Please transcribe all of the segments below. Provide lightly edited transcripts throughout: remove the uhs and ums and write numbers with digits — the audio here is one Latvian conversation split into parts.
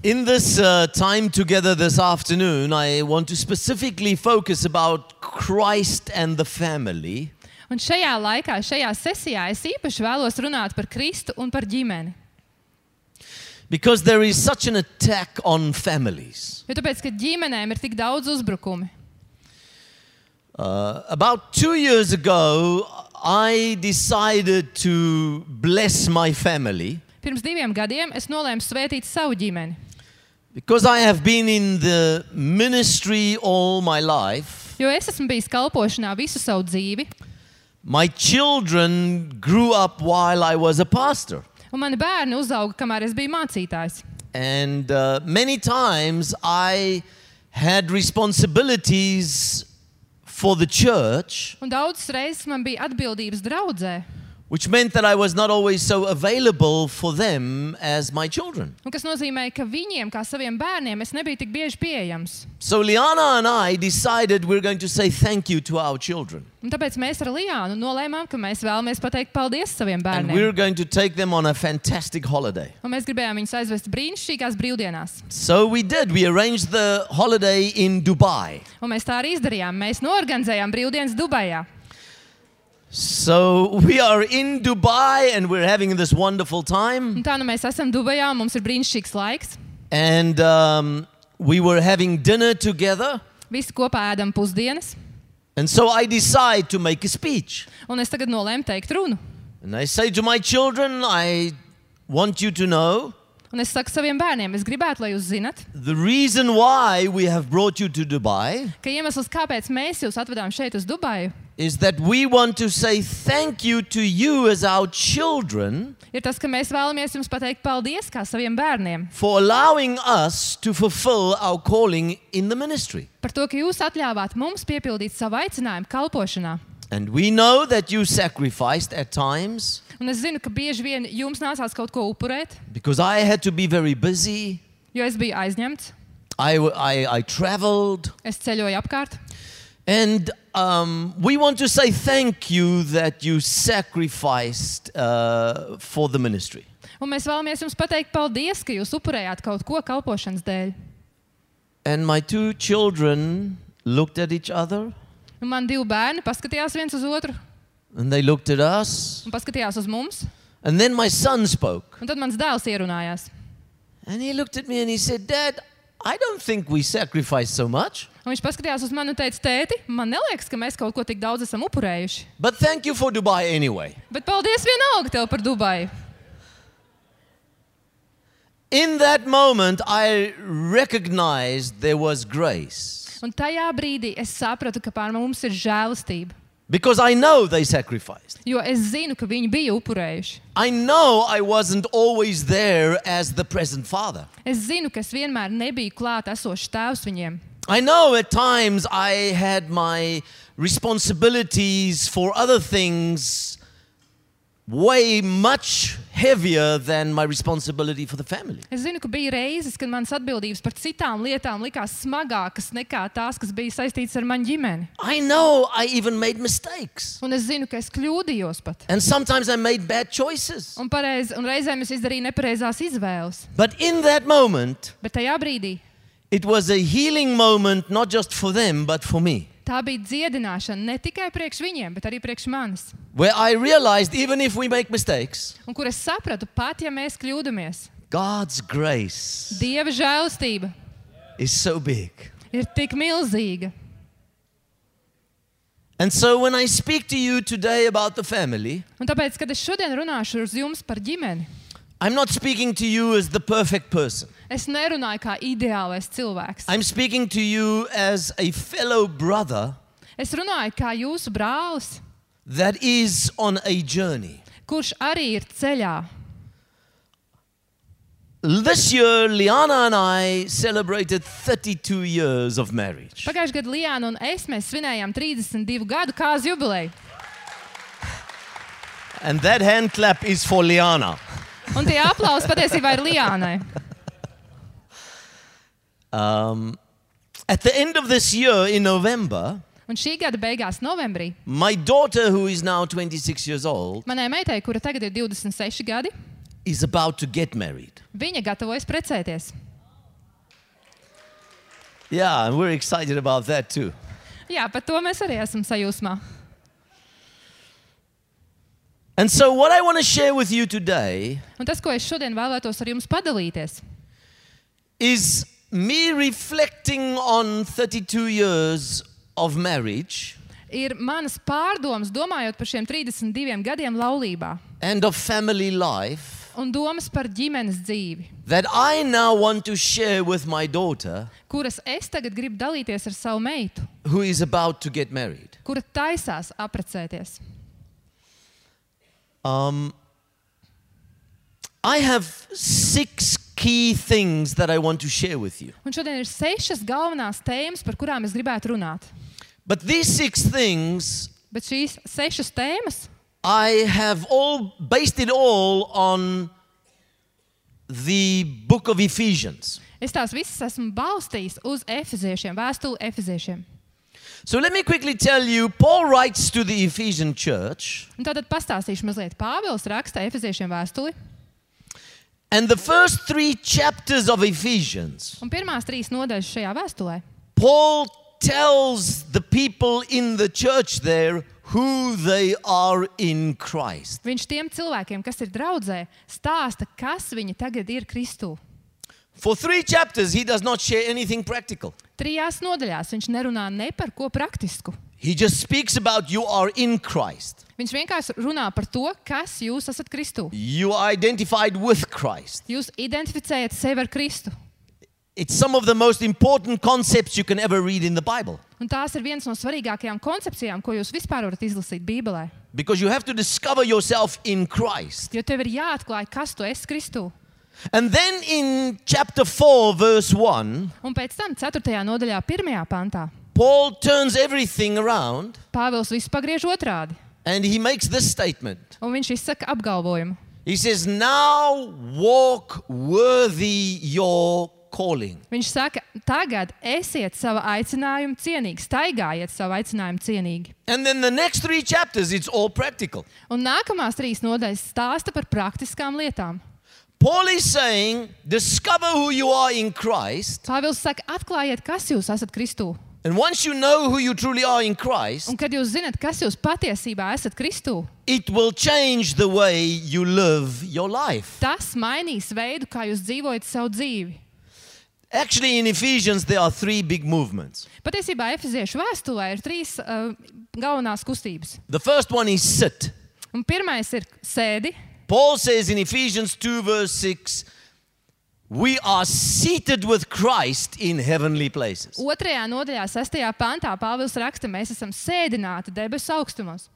In this time together this afternoon, I want to specifically focus about Christ and the family. Un šajā laikā, šajā sesijā es īpaši vēlos runāt par Kristu un par ģimeni. Because there is such an attack on families. Jo tāpēc, ka ģimenēm ir tik daudz uzbrukumi. About 2 years ago, I decided to bless my family. Pirms 2 gadiem es nolēmu svētīt savu ģimeni. Because I have been in the ministry all my life. Jo es esmu bijis kalpošanā visu savu dzīvi. My children grew up while I was a pastor. Un mani bērni uzauga, kamēr es biju mācītājs. And many times I had responsibilities for the church, Un daudzas reizes man bija atbildības draudzē, which meant that I was not always so available for them as my children. un kas nozīmē, ka viņiem, kā saviem bērniem, es nebiju tik bieži pieejams. So Liana and I decided we're going to say thank you to our children. Un tāpēc mēs ar Liānu nolēmām, ka mēs vēlamies pateikt paldies saviem And bērniem. we're going to take them on a fantastic holiday. Un mēs gribējām viņus aizvest brīnišķīgās brīvdienās. So we did. We arranged the holiday in Dubai. Un mēs tā arī izdarījām. Mēs norganizējām brīvdienas Dubajā. So we are in Dubai and we're having this wonderful time. Un tā nu mēs esam Dubajā un mums ir brīnišķīgs laiks. And we were having dinner together. Visi kopā ēdam pusdienas. And so I decide to make a speech. Un es tagad nolēmu teikt runu. And I say to my children, I want you to know Un es saku saviem bērniem, es gribētu, lai jūs zinat, the reason why we have brought you to Dubai ka iemesls, kāpēc mēs jūs atvedām šeit uz Dubaju, is that we want to say thank you to you as our children ir tas, ka mēs vēlamies jums pateikt paldies kā saviem bērniem for allowing us to fulfill our calling in the ministry. par to, ka jūs atļāvāt mums piepildīt savu aicinājumu kalpošanā. And we know that you sacrificed at times Un es zinu, ka bieži vien jums nācās kaut ko upurēt, because I had to be very busy. jo es biju aizņemts, I traveled. es ceļoju apkārt. And we want to say thank you that you sacrificed for the ministry. Un mēs vēlamies jums pateikt paldies, ka jūs upurējāt kaut ko kalpošanas dēļ. And my 2 children looked at each other Un man 2 bērni paskatījās viens uz otru and they looked at us. un paskatījās uz mums. And then my son spoke. Un tad mans dēls ierunājās. And he looked at me and he said, Dad, I don't think we sacrificed so much. Un viņš paskatījās uz mani un teica, tēti, man neliekas, ka mēs kaut ko tik daudz esam upurējuši. But thank you for Dubai anyway. Bet paldies vienalga tev par Dubaju. In that moment, I recognized there was grace. Un tajā brīdī es sapratu, ka pār mums ir žēlastība. Because I know they sacrificed. Jo es zinu, ka viņi bija upurējuši. I know I wasn't always there as the present father. Es zinu, ka es vienmēr nebiju klāt esošs tēvs viņiem. I know at times I had my responsibilities for other things way much heavier than my responsibility for the family. Es zinu, ka bija reizes, kad manas atbildības par citām lietām likās smagākas nekā tās, kas bija saistītas ar manu ģimeni. I know I even made mistakes. Un es zinu, ka es kļūdījos pat. And sometimes I made bad choices. Un reizēm es izdarīju nepareizās izvēles. But in that moment, Bet tajā brīdī it was a healing moment not just for them, but for me. tā bija dziedināšana ne tikai priekš viņiem, bet arī priekš manis. Where I realized even if we make mistakes, Un kur es sapratu, pat ja mēs kļūdamies, God's grace Dieva žēlastība is so big. ir tik milzīga. And so when I speak to you today about the family, Un tāpēc, kad es šodien runāšu uz jums par ģimeni, I'm not speaking to you as the perfect person. es nerunāju kā ideālais cilvēks. I'm speaking to you as a fellow brother Es runāju kā jūsu brālis, that is on a journey. kurš arī ir ceļā. This year, Liana and I celebrated 32 years of marriage. Pagājušajā gadā Liāna un es mēs svinējām 32 gadu kāzu jubileju. And that hand clap is for Liana. Un tie aplausi patiesībā ir Liānai. At the end of this year, in November, Un šī gada beigās, novembrī, my daughter, who is now 26 years old, manai meitai, kura tagad ir 26 gadi, is about to get married. viņa gatavojas precēties. Yeah, and we're excited about that too. Jā, par to mēs arī esam sajūsmā. And so what I want to share with you today Un tas, ko es šodien vēlētos ar jums padalīties, is me reflecting on 32 years of marriage ir manas pārdomas, domājot par šiem 32 gadiem laulībā and of family life un domas par ģimenes dzīvi, that I now want to share with my daughter kuras es tagad gribu dalīties ar savu meitu, who is about to get married. kura taisās apprecēties. I have 6 key things that I want to share with you. Un šodien ir 6 galvenās tēmas, par kurām es gribētu runāt. But these 6 things, Bet šīs 6 tēmas I have based it all on the book of Ephesians. es tās visas esmu balstījis uz Efeziešiem, vēstuli Efeziešiem. So let me quickly tell you, Paul writes to the Ephesian church, Un tātad pastāstīšu mazliet. Pāvils raksta Efeziešiem vēstuli, and the first 3 chapters of Ephesians, un pirmās 3 nodaļas šajā vēstulē Paul tells the people in the church there who they are in Christ. viņš tiem cilvēkiem, kas ir draudzē, stāsta, kas viņi tagad ir Kristū. For 3 chapters, he does not share anything practical. 3 nodaļās viņš nerunā ne par ko praktisku. He just speaks about you are in Christ. Viņš vienkārši runā par to, kas jūs esat Kristū. You are identified with Christ. Jūs identificējat sevi ar Kristu. It's some of the most important concepts you can ever read in the Bible. Un tās ir viens no svarīgākajām koncepcijām, ko jūs vispār varat izlasīt Bībelē. Because you have to discover yourself in Christ. Jo tev ir jāatklāj, kas tu esi Kristū. And then in chapter 4, verse 1, Un pēc tam 4. nodaļā 1. pantā Paul turns everything around Pāvils visu pagriež otrādi. and he makes this statement. Un viņš izsaka apgalvojumu. He says, now walk worthy your calling. Viņš saka, tagad esiet sava aicinājuma cienīgi, staigājiet savu aicinājumu cienīgi. And then the next 3 chapters, it's all practical. Un nākamās 3 nodaļas stāsta par praktiskām lietām. Paul is saying, discover who you are in Christ. Pāvils saka, atklājiet, kas jūs esat Kristū. And once you know who you truly are in Christ, Un kad jūs zinat, kas jūs patiesībā esat Kristū, it will change the way you live your life. tas mainīs veidu, kā jūs dzīvojat savu dzīvi. Actually, in Ephesians, there are 3 big movements. Patiesībā Efeziešu vēstulē ir 3 galvenās kustības. The first one is sit. Un pirmais ir sēdi. Paul says in Ephesians 2, verse 6, we are seated with Christ in heavenly places. 2. nodaļā 6. pantā Pāvils raksta, mēs esam sēdināti debesu augstumos.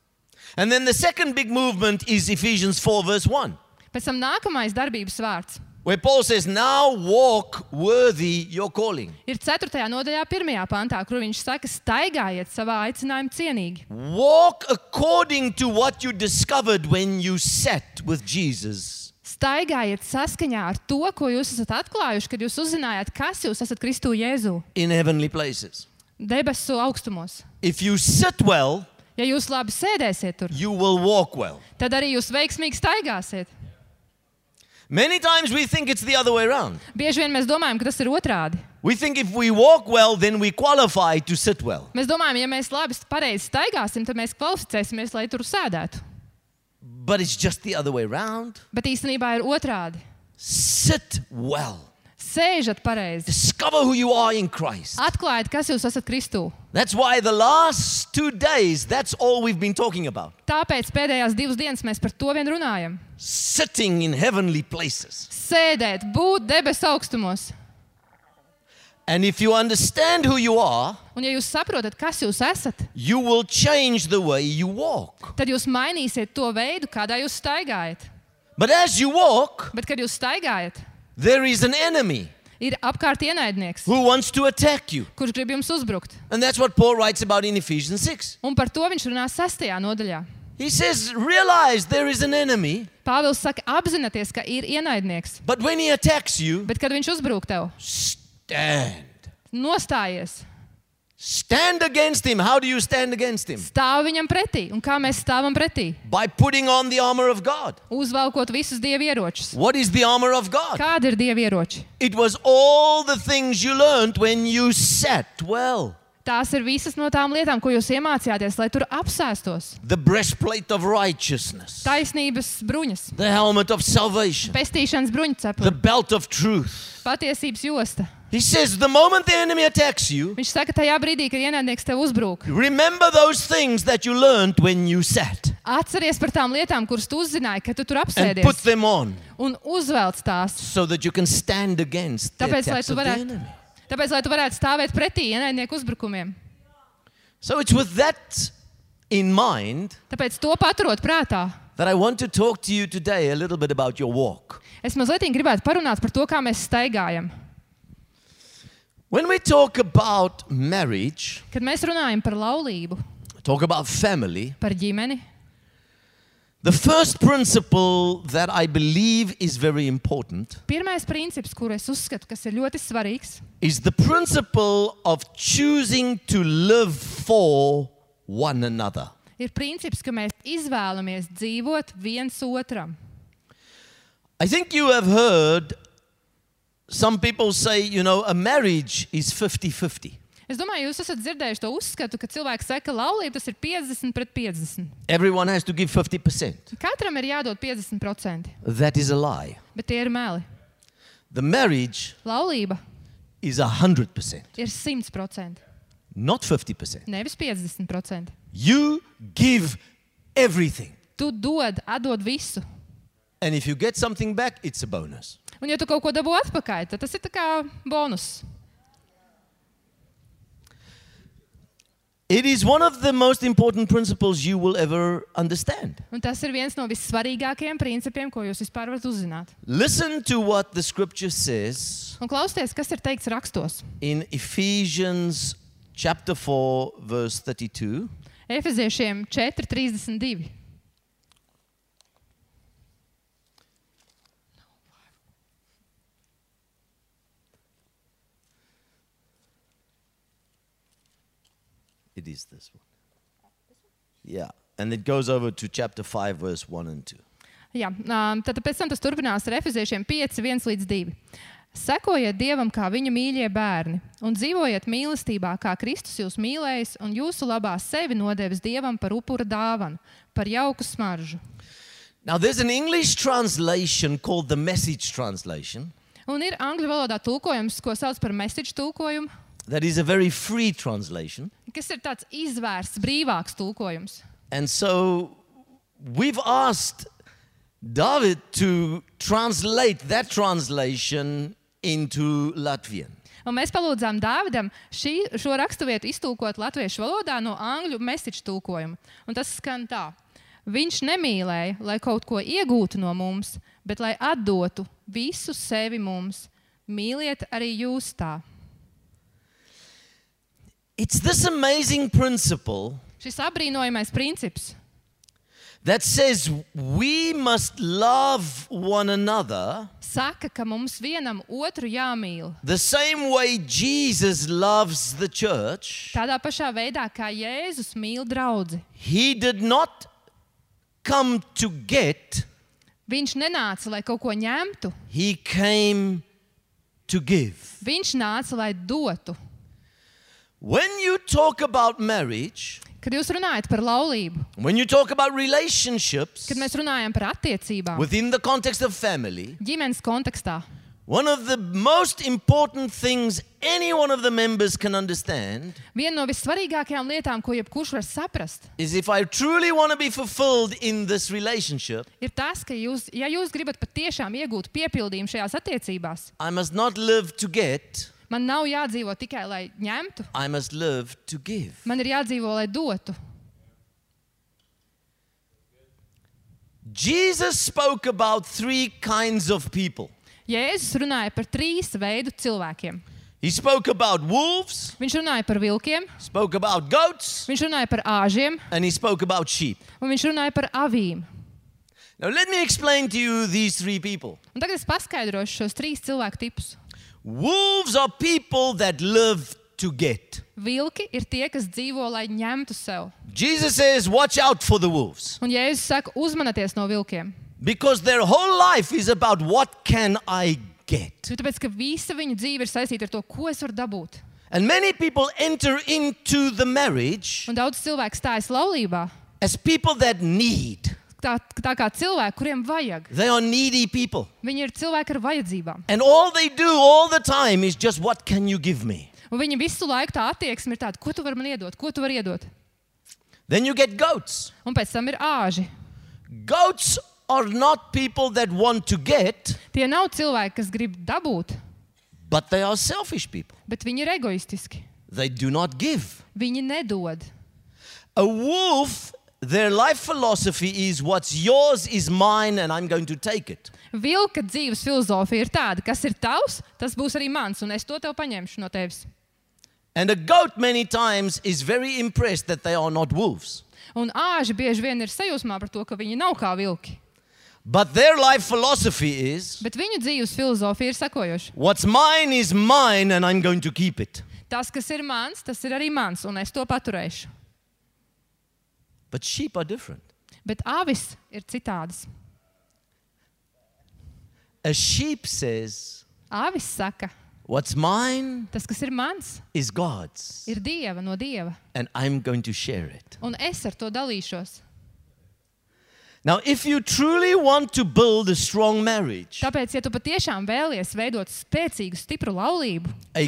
And then the second big movement is Ephesians 4, verse 1, Pēc tam nākamais darbības vārds where Paul says, now walk worthy your calling. ir 4. nodaļā 1. pantā, kur viņš saka, staigājiet savā aicinājuma cienīgi. Walk according to what you discovered when you sat with Jesus. Staigājiet saskaņā ar to, ko jūs esat atklājuši, kad jūs uzzinājāt, kas jūs esat Kristū Jēzū, In heavenly places. debesu augstumos. If you sit well, Ja jūs labi sēdēsiet tur, you will walk well. tad arī jūs veiksmīgi staigāsiet. Many times we think it's the other way around. Bieži vien mēs domājam, ka tas ir otrādi. We think if we walk well, then we qualify to sit well. Mēs domājam, ja mēs labi pareizi staigāsim, tad mēs kvalificēsimies, lai tur sēdētu. But it's just the other way around. Bet īstenībā ir otrādi. Sit well. Sēžat pareizi. Discover who you are in Christ. Atklājiet, kas jūs esat Kristū. That's why the last 2 days, that's all we've been talking about. Tāpēc pēdējās 2 dienas mēs par to vien runājam. Sitting in heavenly places. Sēdēt, būt debesu augstumos. And if you understand who you are, Un ja jūs saprotat, kas jūs esat, you will change the way you walk. tad jūs mainīsiet to veidu, kādā jūs staigājat. But as you walk, Bet, kad jūs staigājat, there is an enemy ir apkārt ienaidnieks, who wants to attack you. kurš grib jums uzbrukt. And that's what Paul writes about in Ephesians 6. Un par to viņš runā 6. nodaļā. He says, realize there is an enemy, Pāvils saka, apzināties, ka ir ienaidnieks. but when he attacks you, Bet, kad viņš uzbrūk tev, stand. nostājies. Stand against him. How do you stand against him? Stāv viņam pretī. Un kā mēs stāvam pretī? By putting on the armor of God. Uzvelkot visus Dieva ieročus. What is the armor of God? Kādi ir Dieva ieroči? It was all the things you learned when you sat well. Tās ir visas no tām lietām, ko jūs iemācījāties, lai tur apsēstos. The breastplate of righteousness. Taisnības bruņas, The helmet of salvation. pestīšanas The bruņcepuri, belt of truth. patiesības josta. He says, the moment the enemy attacks you, Viņš saka, tajā brīdī, kad ienaidnieks tev uzbrūk, remember those things that you learned when you sat atceries par tām lietām, kuras tu uzzināji, kad tu tur and put apsēdies, them on un uzvelc tās. so that you can stand against the Tāpēc, lai attacks tu of the varētu, enemy. stāvēt pretī ienaidnieku uzbrukumiem. So it's with that in mind Tāpēc to paturot prātā, that I want to talk to you today a little bit about your walk. es mazliet gribētu parunāt par to, kā mēs staigājam. When we talk about marriage, Kad mēs runājam par laulību, talk about family, par ģimeni, the first principle that I believe is very important pirmais princips, kuru es uzskatu, kas ir ļoti svarīgs, is the principle of choosing to live for one another. ir princips, ka mēs izvēlamies dzīvot viens otram. I think you have heard some people say, a marriage is 50-50. Es domāju, jūs esat dzirdējuši to uzskatu, ka cilvēki saka, ka laulība tas ir 50-50. Everyone has to give 50%. Katram ir jādod 50%, That is a lie. bet tie ir meli. The marriage Laulība is 100%, ir 100%, not 50%. nevis 50%. You give everything. Tu atdod visu. And if you get something back, it's a bonus. Un ja tu kaut ko dabū atpakaļ, tad tas ir tā kā bonus. It is one of the most important principles you will ever understand. Un tas ir viens no vissvarīgākajiem principiem, ko jūs vispār varat uzzināt. Listen to what the scripture says Un klausieties, kas ir teikts rakstos. in Ephesians chapter 4, verse 32. Efeziešiem 4:32. It is this one. Yeah. And it goes over to chapter 5, verse 1 and 2. Jā, tad pēc tam tas turpinās ar Efeziešiem 5:1-2. Sekojiet Dievam kā viņa mīļie bērni un dzīvojiet mīlestībā, kā Kristus jūs mīlējis un jūsu labā sevi nodevis Dievam par upura dāvanu, par jauku smaržu. Now, there's an English translation called the Message translation. Un ir angļu valodā tulkojums, ko sauc par message tulkojumu, That is a very free translation. kas ir tāds izvērsts, brīvāks tulkojums. And so we've asked David to translate that translation into Latvian. Un mēs palūdzām Dāvidam šo raksturvietu iztulkot latviešu valodā no angļu message tulkojuma. Un tas skan tā. Viņš nemīlēja, lai kaut ko iegūtu no mums, bet lai atdotu visu sevi mums. Mīliet arī jūs tā. It's this amazing principle Šis apbrīnojamais princips, that says we must love one another saka, ka mums vienam otru jāmīl. the same way Jesus loves the church. Tādā pašā veidā, kā Jēzus mīl draudzi. He did not come to get, Viņš nenāca, lai kaut ko ņemtu. he came to give. Viņš nāca, lai dotu. When you talk about marriage, Kad jūs runājat par laulību, when you talk about relationships kad mēs runājam par attiecībām, within the context of family, ģimenes kontekstā, one of the most important things any one of the members can understand viena no vissvarīgākajām lietām, ko jebkurš var saprast, is if I truly want to be fulfilled in this relationship, ir tas, ka ja jūs gribat patiešām iegūt piepildījumu šajās attiecībās, I must not live to get, man nav jādzīvo tikai, lai ņemtu, I must live to give. man ir jādzīvo, lai dotu. Jesus spoke about 3 kinds of people. Jēzus runāja par 3 veidu cilvēkiem. He spoke about wolves, Viņš runāja par vilkiem, spoke about goats, viņš runāja par āžiem and he spoke about sheep. un viņš runāja par avīm. Now let me explain to you these 3 people. Un tagad es paskaidrošu šos 3 cilvēku tipus. Wolves are people that live to get. Vilki ir tie, kas dzīvo, lai ņemtu sev. Jesus says, watch out for the wolves. Un Jēzus saka, uzmanieties no vilkiem. Because their whole life is about what can I get. Jo tāpēc, ka visa viņu dzīve ir saistīta ar to, ko es varu dabūt. And many people enter into the marriage Un daudz cilvēku stājas laulībā. as people that need. Tā kā cilvēki, kuriem vajag. They are needy people. Viņi ir cilvēki ar vajadzībām. And all they do all the time is just, what can you give me? Un viņi visu laiku tā attieksme ir tāda, ko tu vari man iedot, ko tu vari iedot. Then you get goats. Un pēc tam ir āži. Goats are not people that want to get, Tie nav cilvēki, kas grib dabūt, but they are selfish people. bet viņi ir egoistiski. They do not give. Viņi nedod. A wolf, their life philosophy is, what's yours is mine and I'm going to take it. Vilka dzīves filozofija ir tāda, kas ir tavs, tas būs arī mans, un es to tev paņemšu no tevis. And a goat many times is very impressed that they are not wolves. Un āži bieži vien ir sajūsmā par to, ka viņi nav kā vilki. But their life philosophy is, Bet viņu dzīves filozofija ir sekojoša. what's mine is mine and I'm going to keep it. Tas, kas ir mans, tas ir arī mans, un es to paturēšu. But sheep are different. Bet avis ir citādas. A sheep says, Avis saka, what's mine tas, kas ir mans, is God's ir Dieva no Dieva, and I'm going to share it. un es ar to dalīšos. Now, if you truly want to build a strong marriage, Tāpēc, ja tu patiešām vēlies veidot spēcīgu, stipru laulību, a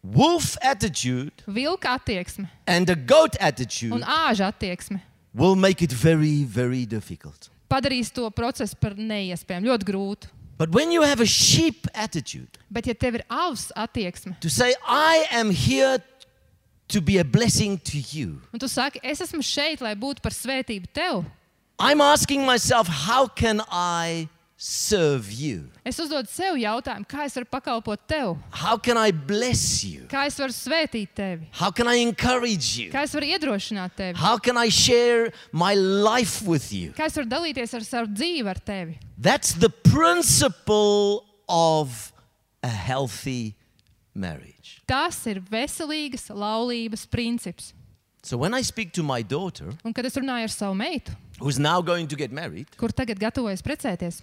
wolf attitude vilka attieksme and a goat un attitude āža attieksme will make it very, very difficult. padarīs to procesu par neiespējamu, ļoti grūtu. But when you have a sheep attitude, Bet, ja tev ir avs attieksme, to say, I am here to be a blessing to you, un tu saki, es esmu šeit, lai būtu par svētību tev, I'm asking myself, how can I serve you? es uzdodu sev jautājumu, kā es varu pakalpot tev, How can I bless you? kā es varu svētīt tevi, How can I encourage you? kā es varu iedrošināt tevi, How can I share my life with you? kā es varu dalīties ar savu dzīvi ar tevi. That's the principle of a healthy marriage. Tas ir veselīgas laulības princips. So when I speak to my daughter, Un, kad es runāju ar savu meitu, who's now going to get married, kur tagad gatavojas precēties,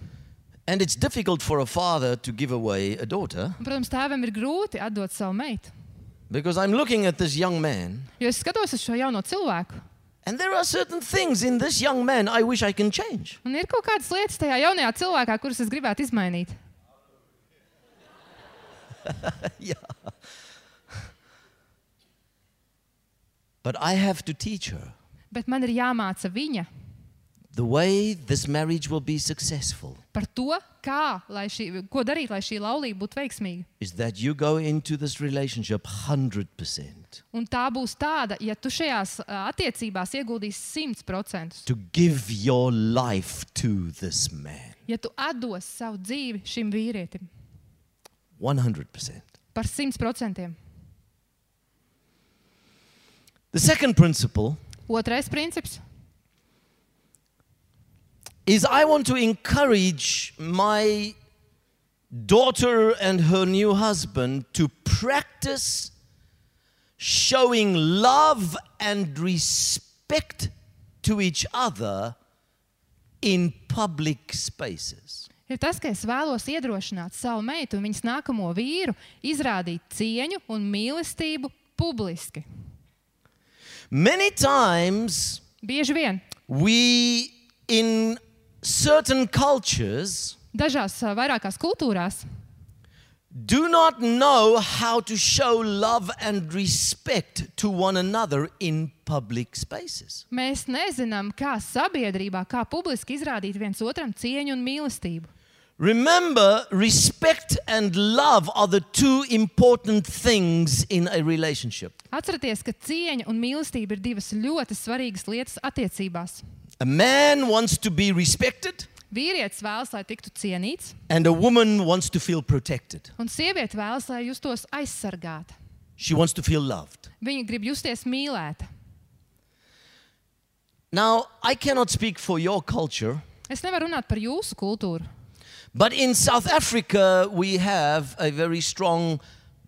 and it's difficult for a father to give away a daughter, un, protams, tēvam ir grūti atdot savu meitu, because I'm looking at this young man, jo es skatos uz šo jauno cilvēku, and there are certain things in this young man I wish I can change. un ir kaut kādas lietas tajā jaunajā cilvēkā, kuras es gribētu izmainīt. Yeah. But I have to teach her Bet man ir jāmāca viņa the way this marriage will be successful par to, ko darīt, lai šī laulība būtu veiksmīga. is that you go into this relationship 100% Un tā būs tāda, ja tu šajās attiecībās ieguldīsi 100%, to give your life to this man. ja tu atdos savu dzīvi šim vīrietim 100%. par 100%. The second principle Otrais princips is I want to encourage my daughter and her new husband to practice showing love and respect to each other in public spaces. ir tas, ka es vēlos iedrošināt savu meitu un viņas nākamo vīru izrādīt cieņu un mīlestību publiski. Many times Bieži vien we, in certain cultures, dažās vairākās kultūrās do not know how to show love and respect to one another in public spaces. mēs nezinām, kā sabiedrībā, kā publiski izrādīt viens otram cieņu un mīlestību. Remember, respect and love are the two important things in a relationship. Atcerieties, ka cieņa un mīlestība ir divas ļoti svarīgas lietas attiecībās. A man wants to be respected, Vīrietis vēlas, lai tiktu cienīts, and a woman wants to feel protected. un sieviete vēlas, lai justos aizsargāta. She wants to feel loved. Viņa grib justies mīlēta. Now, I cannot speak for your culture, Es nevaru runāt par jūsu kultūru, but in South Africa, we have a very strong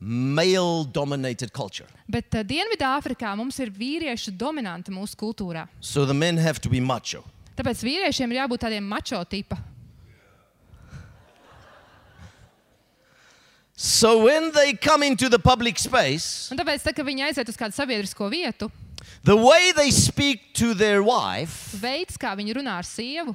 male-dominated culture. Bet Dienvidāfrikā mums ir vīriešu dominanta mūsu kultūrā. So the men have to be macho. Tāpēc vīriešiem ir jābūt tādiem mačo tipa. So when they come into the public space, Un tāpēc, kad viņi aiziet uz kādu sabiedrisko vietu, the way they speak to their wife veids, kā viņi runā ar sievu,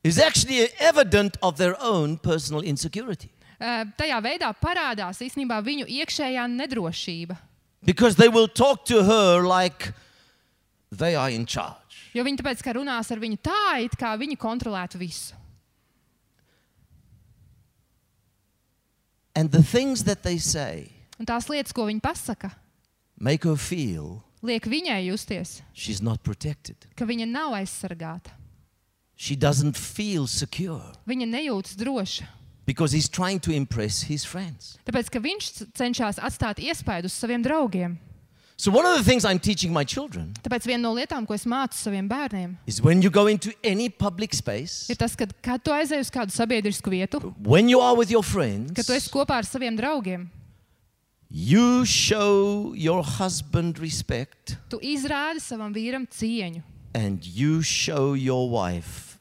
is actually evident of their own personal insecurity. Tajā veidā parādās īstenībā viņu iekšējā nedrošība. Because they will talk to her like they are in charge. Jo viņi tāpēc, ka runās ar viņu tā, it kā viņi kontrolētu visu. And the things that they say Un tās lietas, ko viņi pasaka, make her feel liek viņai justies, she's not protected. ka viņa nav aizsargāta. She doesn't feel secure Viņa nejūtas droša. because he's trying to impress his friends. Tāpēc, ka viņš cenšas atstāt iespaidu uz saviem draugiem. So one of the things I'm teaching my children Tāpēc viena no lietām, ko es mācu saviem bērniem, is when you go into any public space, ir tas, kad tu aizej uz kādu sabiedrisku vietu, when you are with your friends, kad tu esi kopā ar saviem draugiem, you show your husband respect tu izrādi savam vīram cieņu. and you show your wife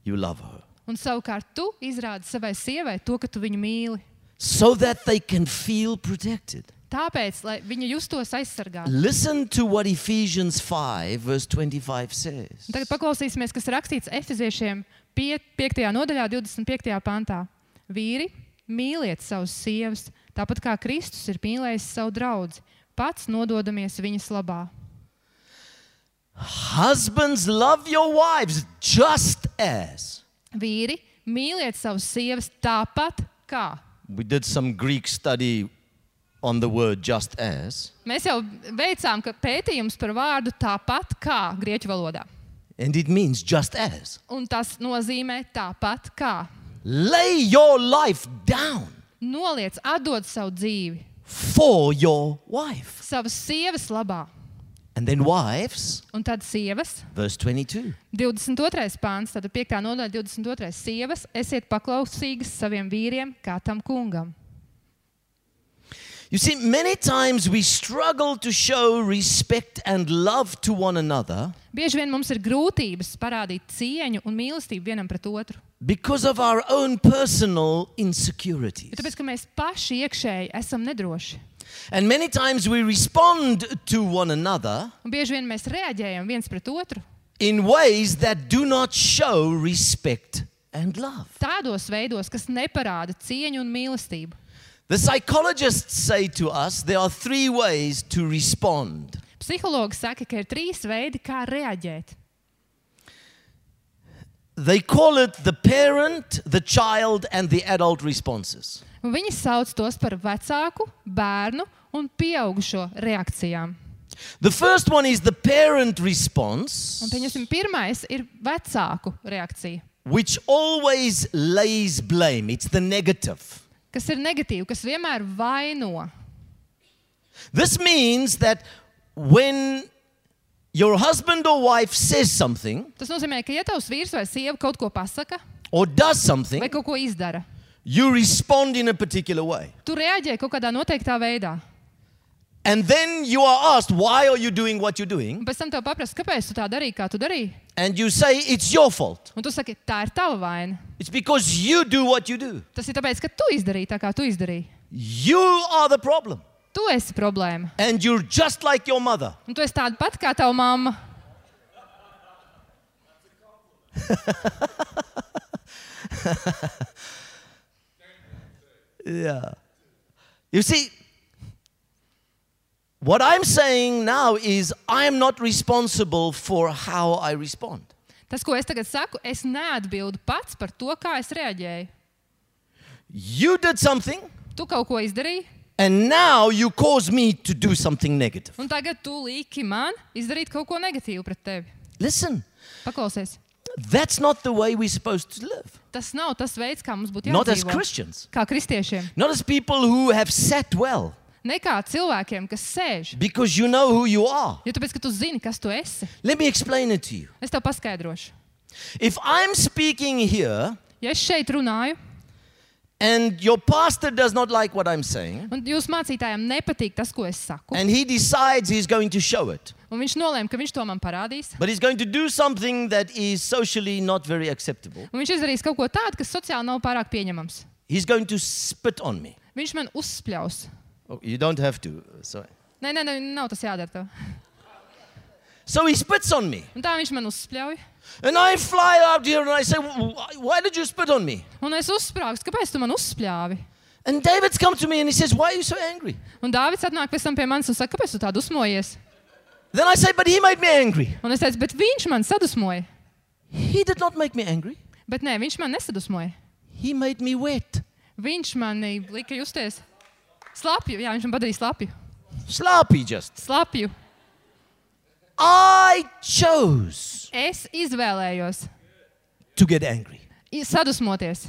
you love her. Un savukārt tu izrādi savai sievai to, ka tu viņu mīli. So that they can feel protected. Tāpēc, lai viņa justos aizsargāta. Listen to what Ephesians 5 verse 25 says. Tagad paklausīsimies, kas rakstīts Efeziešiem 5. nodaļā 25. pantā. Vīri, mīliet savus sievas, tāpat kā Kristus ir mīlējis savu draudzi, pats nododamies viņas labā. Husbands, love your wives just as. Vīri, mīliet savus sievas tāpat kā. We did some Greek study on the word just as. Mēs jau veicām pētījums par vārdu tāpat kā grieķu valodā. And it means just as. Un tas nozīmē tāpat kā. Lay your life down Noliec, atdod savu dzīvi for your wife. savas sievas labā. And then wives, Un tad sievas, verse 22. 22. pāns, tad 5. nodaļa 22. sievas, esiet paklausīgas saviem vīriem kā tam kungam. You see, many times we struggle to show respect and love to one another Bieži vien mums ir grūtības parādīt cieņu un mīlestību vienam pret otru. because of our own personal insecurities. Jo tāpēc, ka mēs paši iekšēji esam nedroši. And many times we respond to one another Un bieži vien mēs reaģējam viens pret otru in ways that do not show respect and love. tādos veidos, kas neparāda cieņu un mīlestību. The psychologists say to us there are 3 ways to respond. Psihologi saka, ka ir 3 veidi, kā reaģēt. They call it the parent, the child, and the adult responses. Un viņi sauc tos par vecāku, bērnu un pieaugušo reakcijām. The first one is the parent response, Un pieņemsim, pirmais ir vecāku reakcija, which always lays blame. It's the negative. kas ir negatīva, kas vienmēr vaino. This means that when your husband or wife says something Tas nozīmē, ka ja tavs vīrs vai sieva kaut ko pasaka or does something, vai kaut ko izdara, you respond in a particular way. tu reaģē kaut kādā noteiktā veidā. And then you are asked, why are you doing what you're doing? Un pēc tam tev paprasta, kāpēc tu tā darīji, kā tu darīji. And you say, it's your fault. Un tu saki, tā ir tava vaina. It's because you do what you do. Tas ir tāpēc, ka tu izdarīji tā, kā tu izdarīji. You are the problem. Tu esi problēma. And you're just like your mother. Un tu esi tāda pat kā tava mamma. Yeah. You see, what I'm saying now is I am not responsible for how I respond. Tas, ko es tagad saku, es neatbildu pats par to, kā es reaģēju. You did something, Tu kaut ko izdarīji, and now you cause me to do something negative. un tagad tu liki man izdarīt kaut ko negatīvu pret tevi. Listen, Paklausies. that's not the way we're supposed to live. Tas nav tas veids, kā mums būtu Not as jādzīvo. Christians. Kā kristiešiem. Not as people who have sat well. Ne kā cilvēkiem, kas sēž. Because you know who you are. Jo tāpēc, ka tu zini, kas tu esi. Let me explain it to you. Es tev paskaidrošu. If I'm speaking here Ja es šeit runāju, And your pastor does not like what I'm saying. Un jūsu mācītājam nepatīk tas, ko es saku. And he decides he's going to show it. Un viņš nolēma, ka viņš to man parādīs. But he's going to do something that is socially not very acceptable. Un viņš izdarīs kaut ko tādu, kas sociāli nav pārāk pieņemams. He's going to spit on me. Viņš man uzspļaus. Oh, you don't have to. Sorry. Nē, nav tas jādara tev. So he spits on me. Un tā viņš man uzspļauj. And I fly out here and I say, why did you spit on me? Un es uzsprāgstu, kāpēc tu man uzspļāvi? And David's come to me and he says, why are you so angry? Un Dāvids atnāk pēc tam pie manis un saka, kāpēc tu tā dusmojies? Then I say, but he made me angry. Un es teicu, bet viņš man sadusmoja. He did not make me angry. Bet nē, viņš man nesadusmoja. He made me wet. Viņš mani lika justies slapju. Jā, viņš man padarīja slapju. Sloppy just. Slapju. I chose Es izvēlējos to get angry. sadusmoties.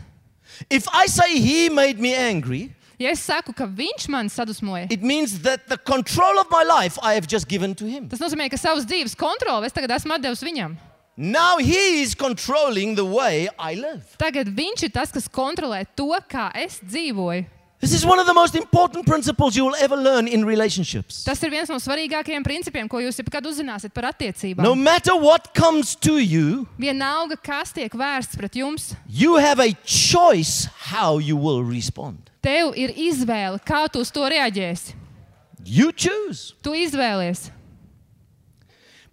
If I say he made me angry, Ja es saku, ka viņš man sadusmoja, it means that the control of my life I have just given to him. tas nozīmē, ka savas dzīves kontroli es tagad esmu atdevis viņam. Now he is controlling the way I live. Tagad viņš ir tas, kas kontrolē to, kā es dzīvoju. This is one of the most important principles you will ever learn in relationships. Tas ir viens no svarīgākajiem principiem, ko jūs jebkad uzzināsiet par attiecībām. No matter what comes to you, Vienalga, kas tiek vērsts pret jums, you have a choice how you will respond. tev ir izvēle, kā tu uz to reaģēsi. You choose. Tu izvēlies.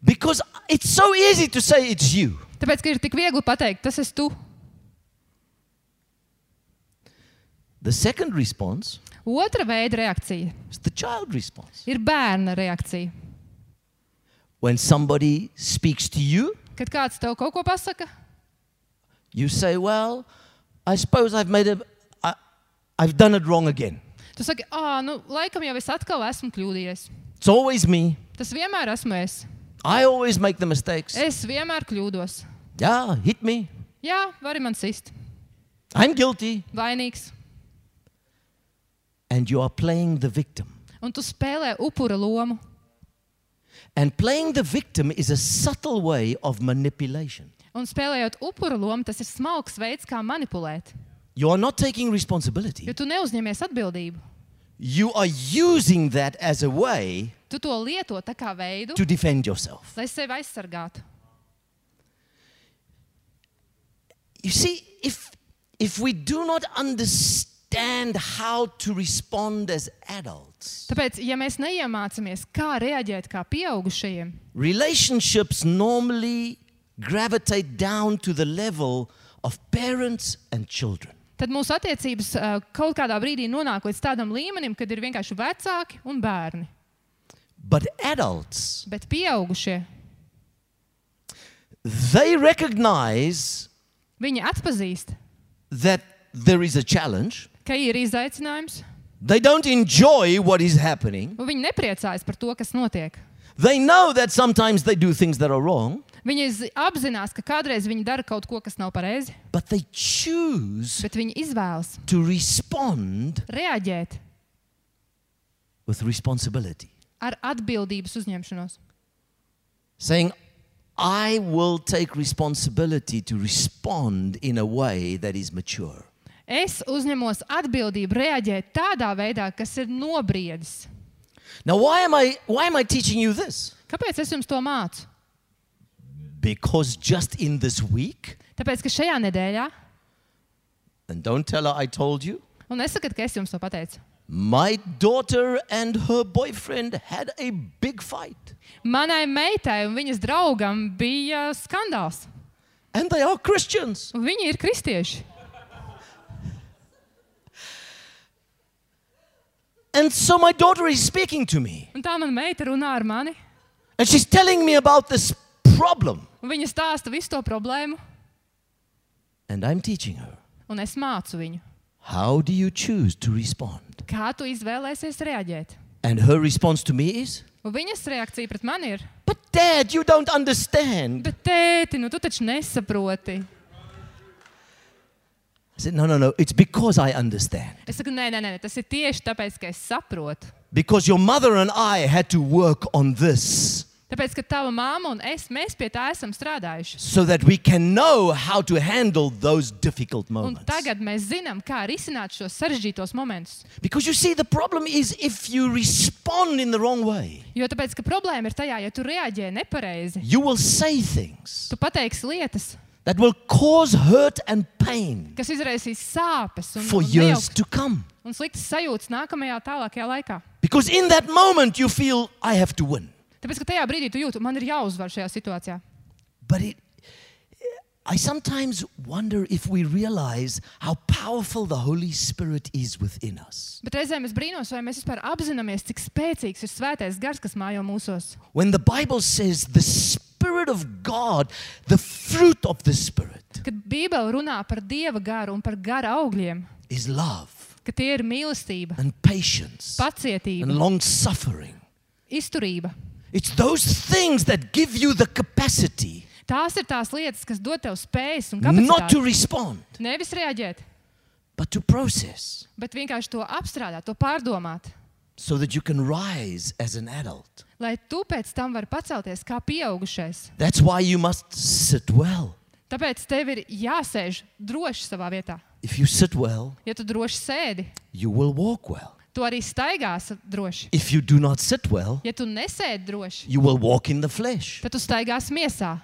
Because it's so easy to say it's you. Tāpēc, ka ir tik viegli pateikt, tas esi tu. The second response Otra veida reakcija is the child response. ir bērna reakcija. When somebody speaks to you, Kad kāds tev kaut ko pasaka, you say, well, I suppose I've done it wrong again. tu saki, laikam jau es atkal esmu kļūdījies. It's always me. Tas vienmēr esmu es. I always make the mistakes. Es vienmēr kļūdos. Yeah, hit me. Jā, vari man sist. I'm guilty. Vainīgs. And you are playing the victim. Un tu spēlē upura lomu. And playing the victim is a subtle way of manipulation. Un spēlējot upura lomu, tas ir smalks veids, kā manipulēt. You are not taking responsibility. Jo tu neuzņemies atbildību. You are using that as a way Tu to lieto tā kā veidu, to defend yourself. lai sevi aizsargātu. You see, if we do not understand how to respond as adults, Tāpēc, ja mēs neiemācāmies, kā reaģēt kā pieaugušajiem, relationships normally gravitate down to the level of parents and children. tad mūsu attiecības kaut kādā brīdī nonāk līdz tādam līmenim, kad ir vienkārši vecāki un bērni. But adults, Bet pieaugušie, they recognize viņi atpazīst, that there is a challenge. ka ir izaicinājums, They don't enjoy what is happening. un viņi nepriecājas par to, kas notiek. They know that sometimes they do things that are wrong, Viņi apzinās, ka kādreiz viņi dara kaut ko, kas nav pareizi, but they choose bet viņi izvēlas to respond reaģēt with responsibility. ar atbildības uzņemšanos. Saying, I will take responsibility to respond in a way that is mature. Es uzņemos atbildību reaģēt tādā veidā, kas ir nobriedis. Now, why am I teaching you this? Kāpēc es jums to mācu? Because just in this week, Tāpēc, ka šajā nedēļā, and don't tell her I told you, un nesakat, ka es jums to pateicu, my daughter and her boyfriend had a big fight. manai meitai un viņas draugam bija skandāls. And they are Christians. Un viņi ir kristieši. And so my daughter is speaking to me. Un tā mana meita runā ar mani, And she's telling me about this problem. un viņa stāsta visu to problēmu, And I'm teaching her. un es mācu viņu. How do you choose to respond? Kā tu izvēlēsies reaģēt? And her response to me is, Un viņas reakcija pret mani ir, but Dad, you don't understand. bet tēti, tu taču nesaproti. I said, no, it's because I understand. Es saku, nē, tas ir tieši tāpēc, ka es saprotu. Because your mother and I had to work on this. Tāpēc, ka tava māma un mēs pie tā esam strādājuši. so that we can know how to handle those difficult Un moments. tagad mēs zinām, kā risināt šos sarežģītos momentus. Because you see, the problem is if you respond in the wrong way, Jo tāpēc, ka problēma ir tajā, ja tu reaģē nepareizi, you will say things tu pateiksi lietas, that will cause hurt and pain kas izraisīs sāpes un, for un, years nejauks to come. un sliktas sajūtas nākamajā tālākajā laikā. Because in that moment you feel, I have to win. Tāpēc, ka tajā brīdī tu jūti, man ir jāuzvar šajā situācijā. But I sometimes wonder if we realize how powerful the Holy Spirit is within us. Bet reizēm es brīnos, vai mēs vispār apzināmies, cik spēcīgs ir svētais gars, kas mājo mūsos. When the Bible says the Spirit of God, the fruit of the Spirit Kad Bībele runā par Dieva garu un par gara augļiem, is love ka tie ir mīlestība, and patience pacietība, and long suffering. izturība. It's those things that give you the capacity Tās ir tās lietas, kas dod tev spējas un not to kapacitāti. respond, Nevis reaģēt, but to process bet vienkārši to apstrādāt, to pārdomāt, so that you can rise as an adult. lai tu pēc tam vari pacelties kā pieaugušais. That's why you must sit well. Tāpēc tev ir jāsēž droši savā vietā. If you sit well, Ja tu droši sēdi, you will walk well. tu arī staigās droši. If you do not sit well, Ja tu nesēdi droši, you will walk in the flesh. tad tu staigās miesā.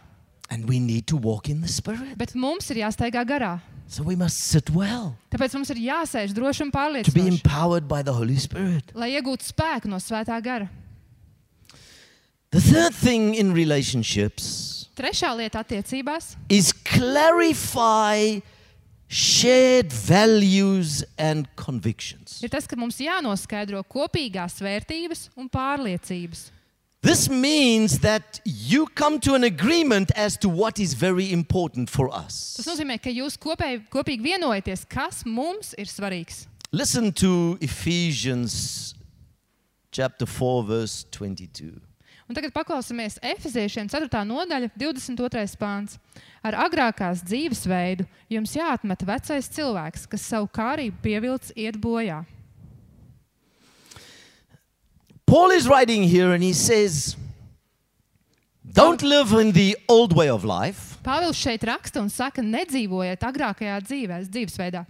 And we need to walk in the Spirit. Bet mums ir jāstaigā garā. So we must sit well Tāpēc mums ir jāsēž droši un to be pārliecinoši, empowered by the Holy Spirit. lai iegūtu spēku no svētā gara. The third thing in relationships Trešā lieta attiecībās is clarify shared values and convictions. ir tas, ka mums jānoskaidro kopīgās vērtības un pārliecības. This means that you come to an agreement as to what is very important for us. Tas nozīmē, ka jūs kopīgi vienojaties, kas mums ir svarīgs. Listen to Ephesians chapter 4 verse 22. Un tagad paklausāmies Efeziešiem 4. nodaļa, 22. pāns. Ar agrākās dzīvesveidu jums jāatmet vecais cilvēks, kas savu kārību pievilcis iet bojā. Paul is writing here and he says, don't live in the old way of life. Pāvils šeit raksta un saka, nedzīvojiet agrākajā dzīvesveidā.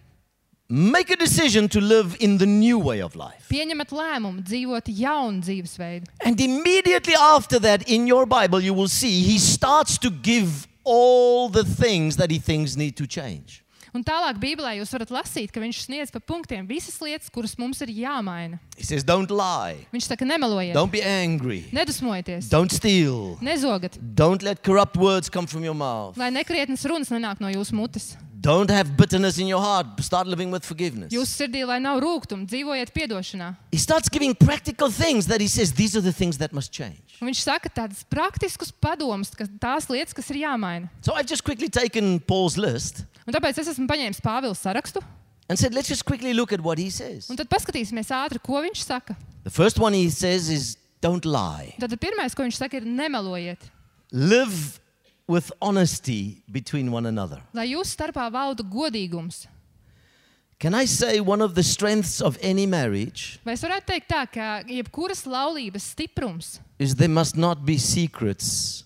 Make a decision to live in the new way of life. Pieņemat lēmumu dzīvot jaunu dzīvesveidu. And immediately after that, in your Bible, you will see he starts to give all the things that he thinks need to change. Un tālāk Bībelē jūs varat lasīt, ka viņš sniedz pa punktiem visas lietas, kuras mums ir jāmaina. He says, don't lie. Viņš saka, nemelojiet, Don't be angry. nedusmojieties, Don't steal. nezogat, Don't let corrupt words come from your mouth. lai nekrietnas runas nenāk no jūsu mutes. Don't have bitterness in your heart. Start living with forgiveness. Jūsu sirdī, lai nav rūgtuma, dzīvojiet piedošanā. He starts giving practical things that he says, these are the things that must change. Un viņš saka tādas praktiskas padomas, ka tās lietas, kas ir jāmaina. So I've just quickly taken Paul's list Un tāpēc es esmu paņēmis Pāvila sarakstu, and said, let's just quickly look at what he says. un tad paskatīsimies ātri, ko viņš saka. The first one he says is, don't lie. Tad pirmais, ko viņš saka, ir nemelojiet, Live with honesty between one another. lai jūsu starpā valdu godīgums. Can I say one of the strengths of any marriage Vai es varētu teikt tā, ka jebkuras laulības stiprums is there must not be secrets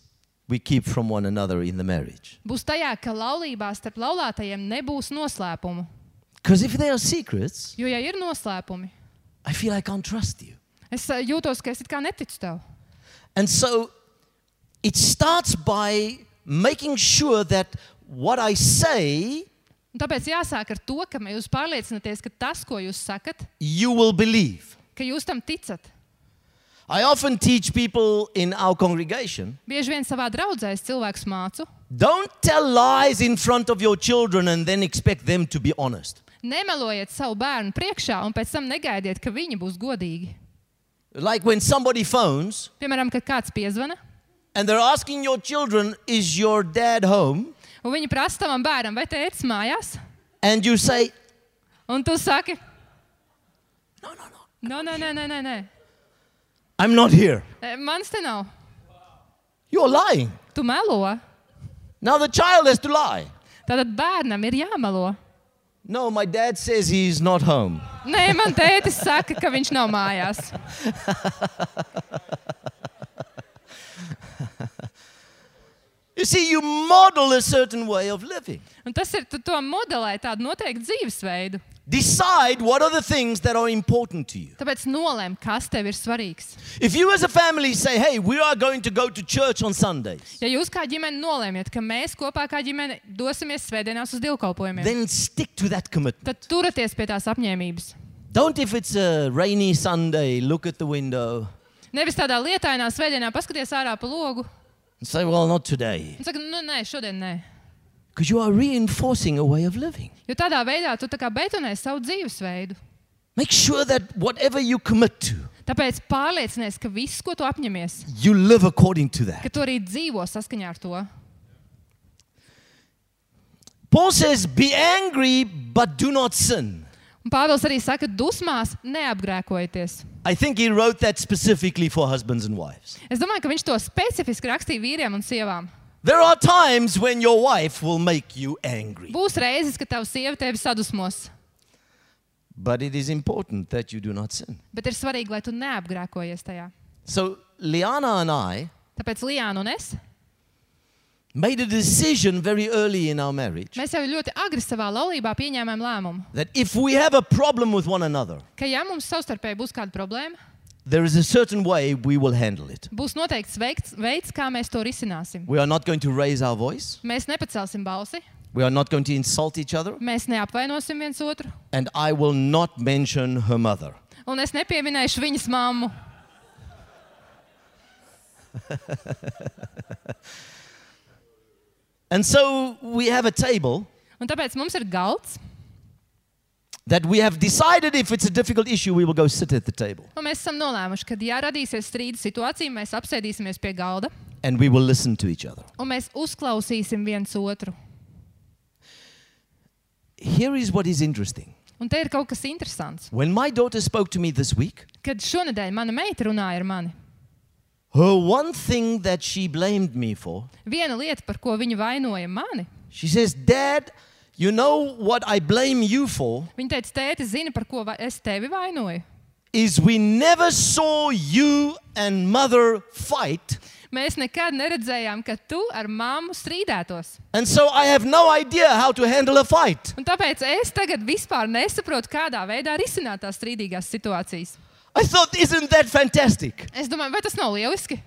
we keep from one another in the marriage. būs tajā, ka laulībā starp laulātajiem nebūs noslēpumu. Because if there are secrets, Jo, ja ir noslēpumi, I feel I can't trust you. es jūtos, ka es it kā neticu tev. And so it starts by making sure that what I say, Un tāpēc jāsāk ar to, ka jūs pārliecināties, ka tas, ko jūs sakat, you will believe. ka jūs tam ticat. I often teach people in our congregation, Bieži vien savā draudzē es cilvēkus mācu. don't tell lies in front of your children and then expect them to be honest. Nemelojiet savu bērnu priekšā un pēc tam negaidiet, ka viņi būs godīgi. Like when somebody phones Piemēram, kad kāds piezvana, and they're asking your children, is your dad home? un viņi prasa tavam bērnam, vai tētis mājās? And you say, Un tu saki, no, no, no, nē. I'm not here. Mans te nav. You're lying. Tu melo. Now the child has to lie. Tātad bērnam ir jāmelo. No, my dad says he's not home. Nē, man tētis saka, ka viņš nav mājās. You see, you model a certain way of living. Un tas ir, tu to modelē tādu noteiktu dzīvesveidu. Decide what are the things that are important to you. Tāpēc nolēm, kas tev ir svarīgs. If you as a family say, hey, we are going to go to church on Sundays, Ja jūs kā ģimene nolēmiet, ka mēs kopā kā ģimene dosimies svētdienās uz dievkalpojumiem, then stick to that commitment. tad turaties pie tās apņēmības. Don't, if it's a rainy Sunday, look at the window Nevis tādā lietainā svētdienā paskaties ārā pa logu and say, well, not today. un saka, nu nē, šodien nē. Because you are reinforcing a way of living. Jo tādā veidā tu tā kā betonē savu dzīvesveidu. Make sure that whatever you commit to, Tāpēc pārliecinies, ka viss, ko tu apņemies, you live according to that. ka tu arī dzīvo saskaņā ar to. Paul says, be angry, but do not sin. Un Pāvils arī saka, dusmās neapgrēkojieties. I think he wrote that specifically for husbands and wives. Es domāju, ka viņš to specifiski rakstīja vīriem un sievām. There are times when your wife will make you angry. Būs reizes, ka tava sieva tevi sadusmos, But it is important that you do not sin. bet ir svarīgi, lai tu neapgrēkojies tajā. So Liana and I Tāpēc Lijāna un es, made a decision very early in our marriage mēs jau ļoti agri savā laulībā pieņēmām lēmumu, that if we have a problem with one another, ka ja mums savstarpēji būs kāda problēma, there is a certain way we will handle it. būs noteikts veids, kā mēs to risināsim. We are not going to raise our voice. Mēs nepacelsim balsi, We are not going to insult each other. mēs neapvainosim viens otru, And I will not mention her mother. un es nepieminēšu viņas mammu. And so we have a table Un tāpēc mums ir galds, that we have decided if it's a difficult issue, we will go sit at the table. un mēs esam nolēmuši, ka, ja radīsies strīda situācija, mēs apsēdīsimies pie galda, And we will listen to each other. un mēs uzklausīsim viens otru. Here is what is interesting. Un te ir kaut kas interesants. When my daughter spoke to me this week, Kad šonedēļ mana meita runāja ar mani, her one thing that she blamed me for, viena lieta, par ko viņa vainoja mani, she says, Dad, you know what I blame you for viņa teica, tēti, zini, par ko es tevi vainoju? is we never saw you and mother fight. Mēs nekad neredzējām, ka tu ar mammu strīdētos. And so I have no idea how to handle a fight. Un tāpēc es tagad vispār nesaprotu, kādā veidā risināt tās strīdīgās situācijas. I thought, isn't that fantastic? Es domāju, vai tas nav lieliski?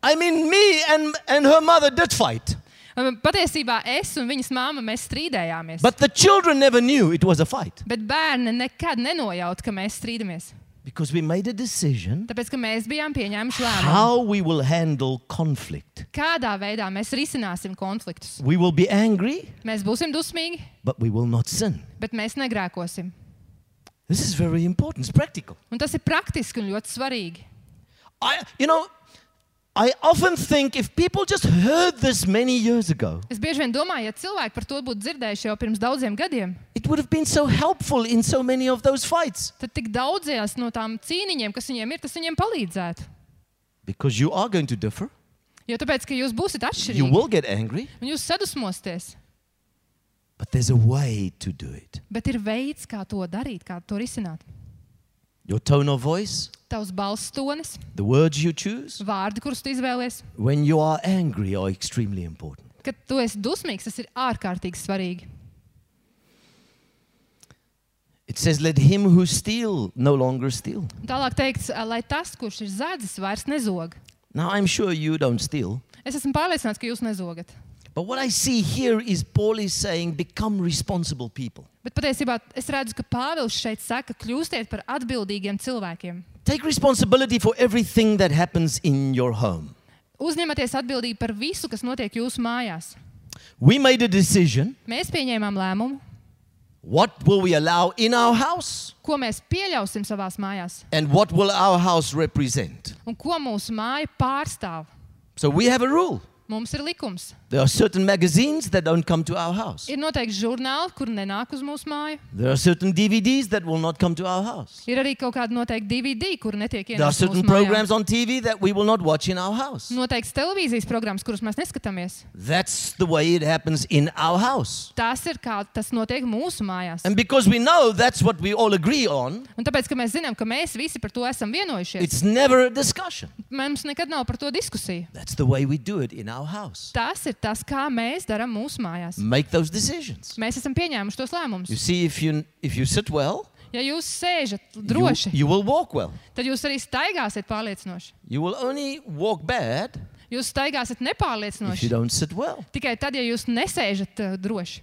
I mean, me and her mother did fight. Patiesībā es un viņas mamma, mēs strīdējāmies. But the children never knew it was a fight. Bet bērni nekad nenojauta, ka mēs strīdamies. Because we made a decision Tāpēc, ka mēs bijām pieņēmuši lēmumu. how we will handle conflict. Kādā veidā mēs risināsim konfliktus. We will be angry, Mēs būsim dusmīgi, but we will not sin. bet mēs negrēkosim. This is very important. It's practical. Un tas ir praktiski un ļoti svarīgi. I often think if people just heard this many years ago, Es bieži vien domāju, ja cilvēki par to būtu dzirdējuši jau pirms daudziem gadiem, it would have been so helpful in so many of those fights. tad tik daudzies no tām cīniņiem, kas viņiem ir, tas viņiem palīdzētu. Because you are going to differ. Jo tāpēc, ka jūs būsiet You atšķirīgi will get angry, un jūs sadusmosties. but there's a way to do it. Bet ir veids, kā to darīt, kā to risināt. Your tone of voice, Tavs balss tonis, the words you choose, vārdi, kurus tu izvēlies. when you are angry are extremely important. Kad tu esi dusmīgs, tas ir ārkārtīgi svarīgi. It says, let him who steal no longer steal. Un tālāk teikts, lai tas, kurš ir zadzis, vairs nezog. Now, I'm sure you don't steal. Es esmu pārliecināts, ka jūs nezogat. But what I see here is Paul is saying, become responsible people. Bet patiesībā es redzu, ka Pāvils šeit saka, kļūstiet par atbildīgiem cilvēkiem. Take responsibility for everything that happens in your home. Uzņematies atbildību par visu, kas notiek jūsu mājās. We made a decision. Mēs pieņēmām lēmumu, What will we allow in our house? ko mēs pieļausim savās mājās And what will our house represent? un ko mūsu māja pārstāv. So we have a rule. Mums ir likums. There are certain magazines that don't come to our house. Ir noteikti žurnāli, kur nenāk uz mūsu māju. There are certain DVDs that will not come to our house. Ir arī kaut kādi noteikti DVD, kur netiek There are ienākt certain mūsu mājā. programs on TV that we will not watch in our house. Noteikts televīzijas programmas, kuras mēs neskatāmies. That's the way it happens in our house. Tas ir kā tas notiek mūsu mājās. And because we know that's what we all agree on, Un tāpēc, ka mēs zinām, ka mēs visi par to esam vienojušies, it's never a discussion. mums nekad nav par to diskusiju. That's the way we do it in our house. Tas ir tas, kā mēs darām mūsu mājās. Make those decisions. Mēs esam pieņēmuši tos lēmumus. You see, if you sit well, Ja jūs sēžat droši, you will walk well. tad jūs arī staigāsiet pārliecinoši. You will only walk bad Jūs staigāsiet if you nepārliecinoši. don't sit well. Tikai tad, ja jūs nesēžat droši.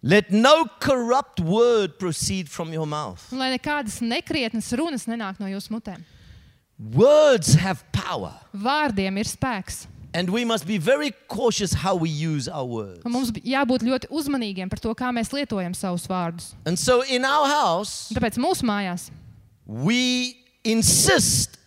Let no corrupt word proceed from your mouth. Un lai nekādas nekrietnas runas nenāk no jūsu mutēm. Words have power, Vārdiem ir spēks. and we must be very cautious how we use our words. Un mums jābūt ļoti uzmanīgiem par to, kā mēs lietojam savus vārdus. And so in our house, Un tāpēc mūsu mājās we insist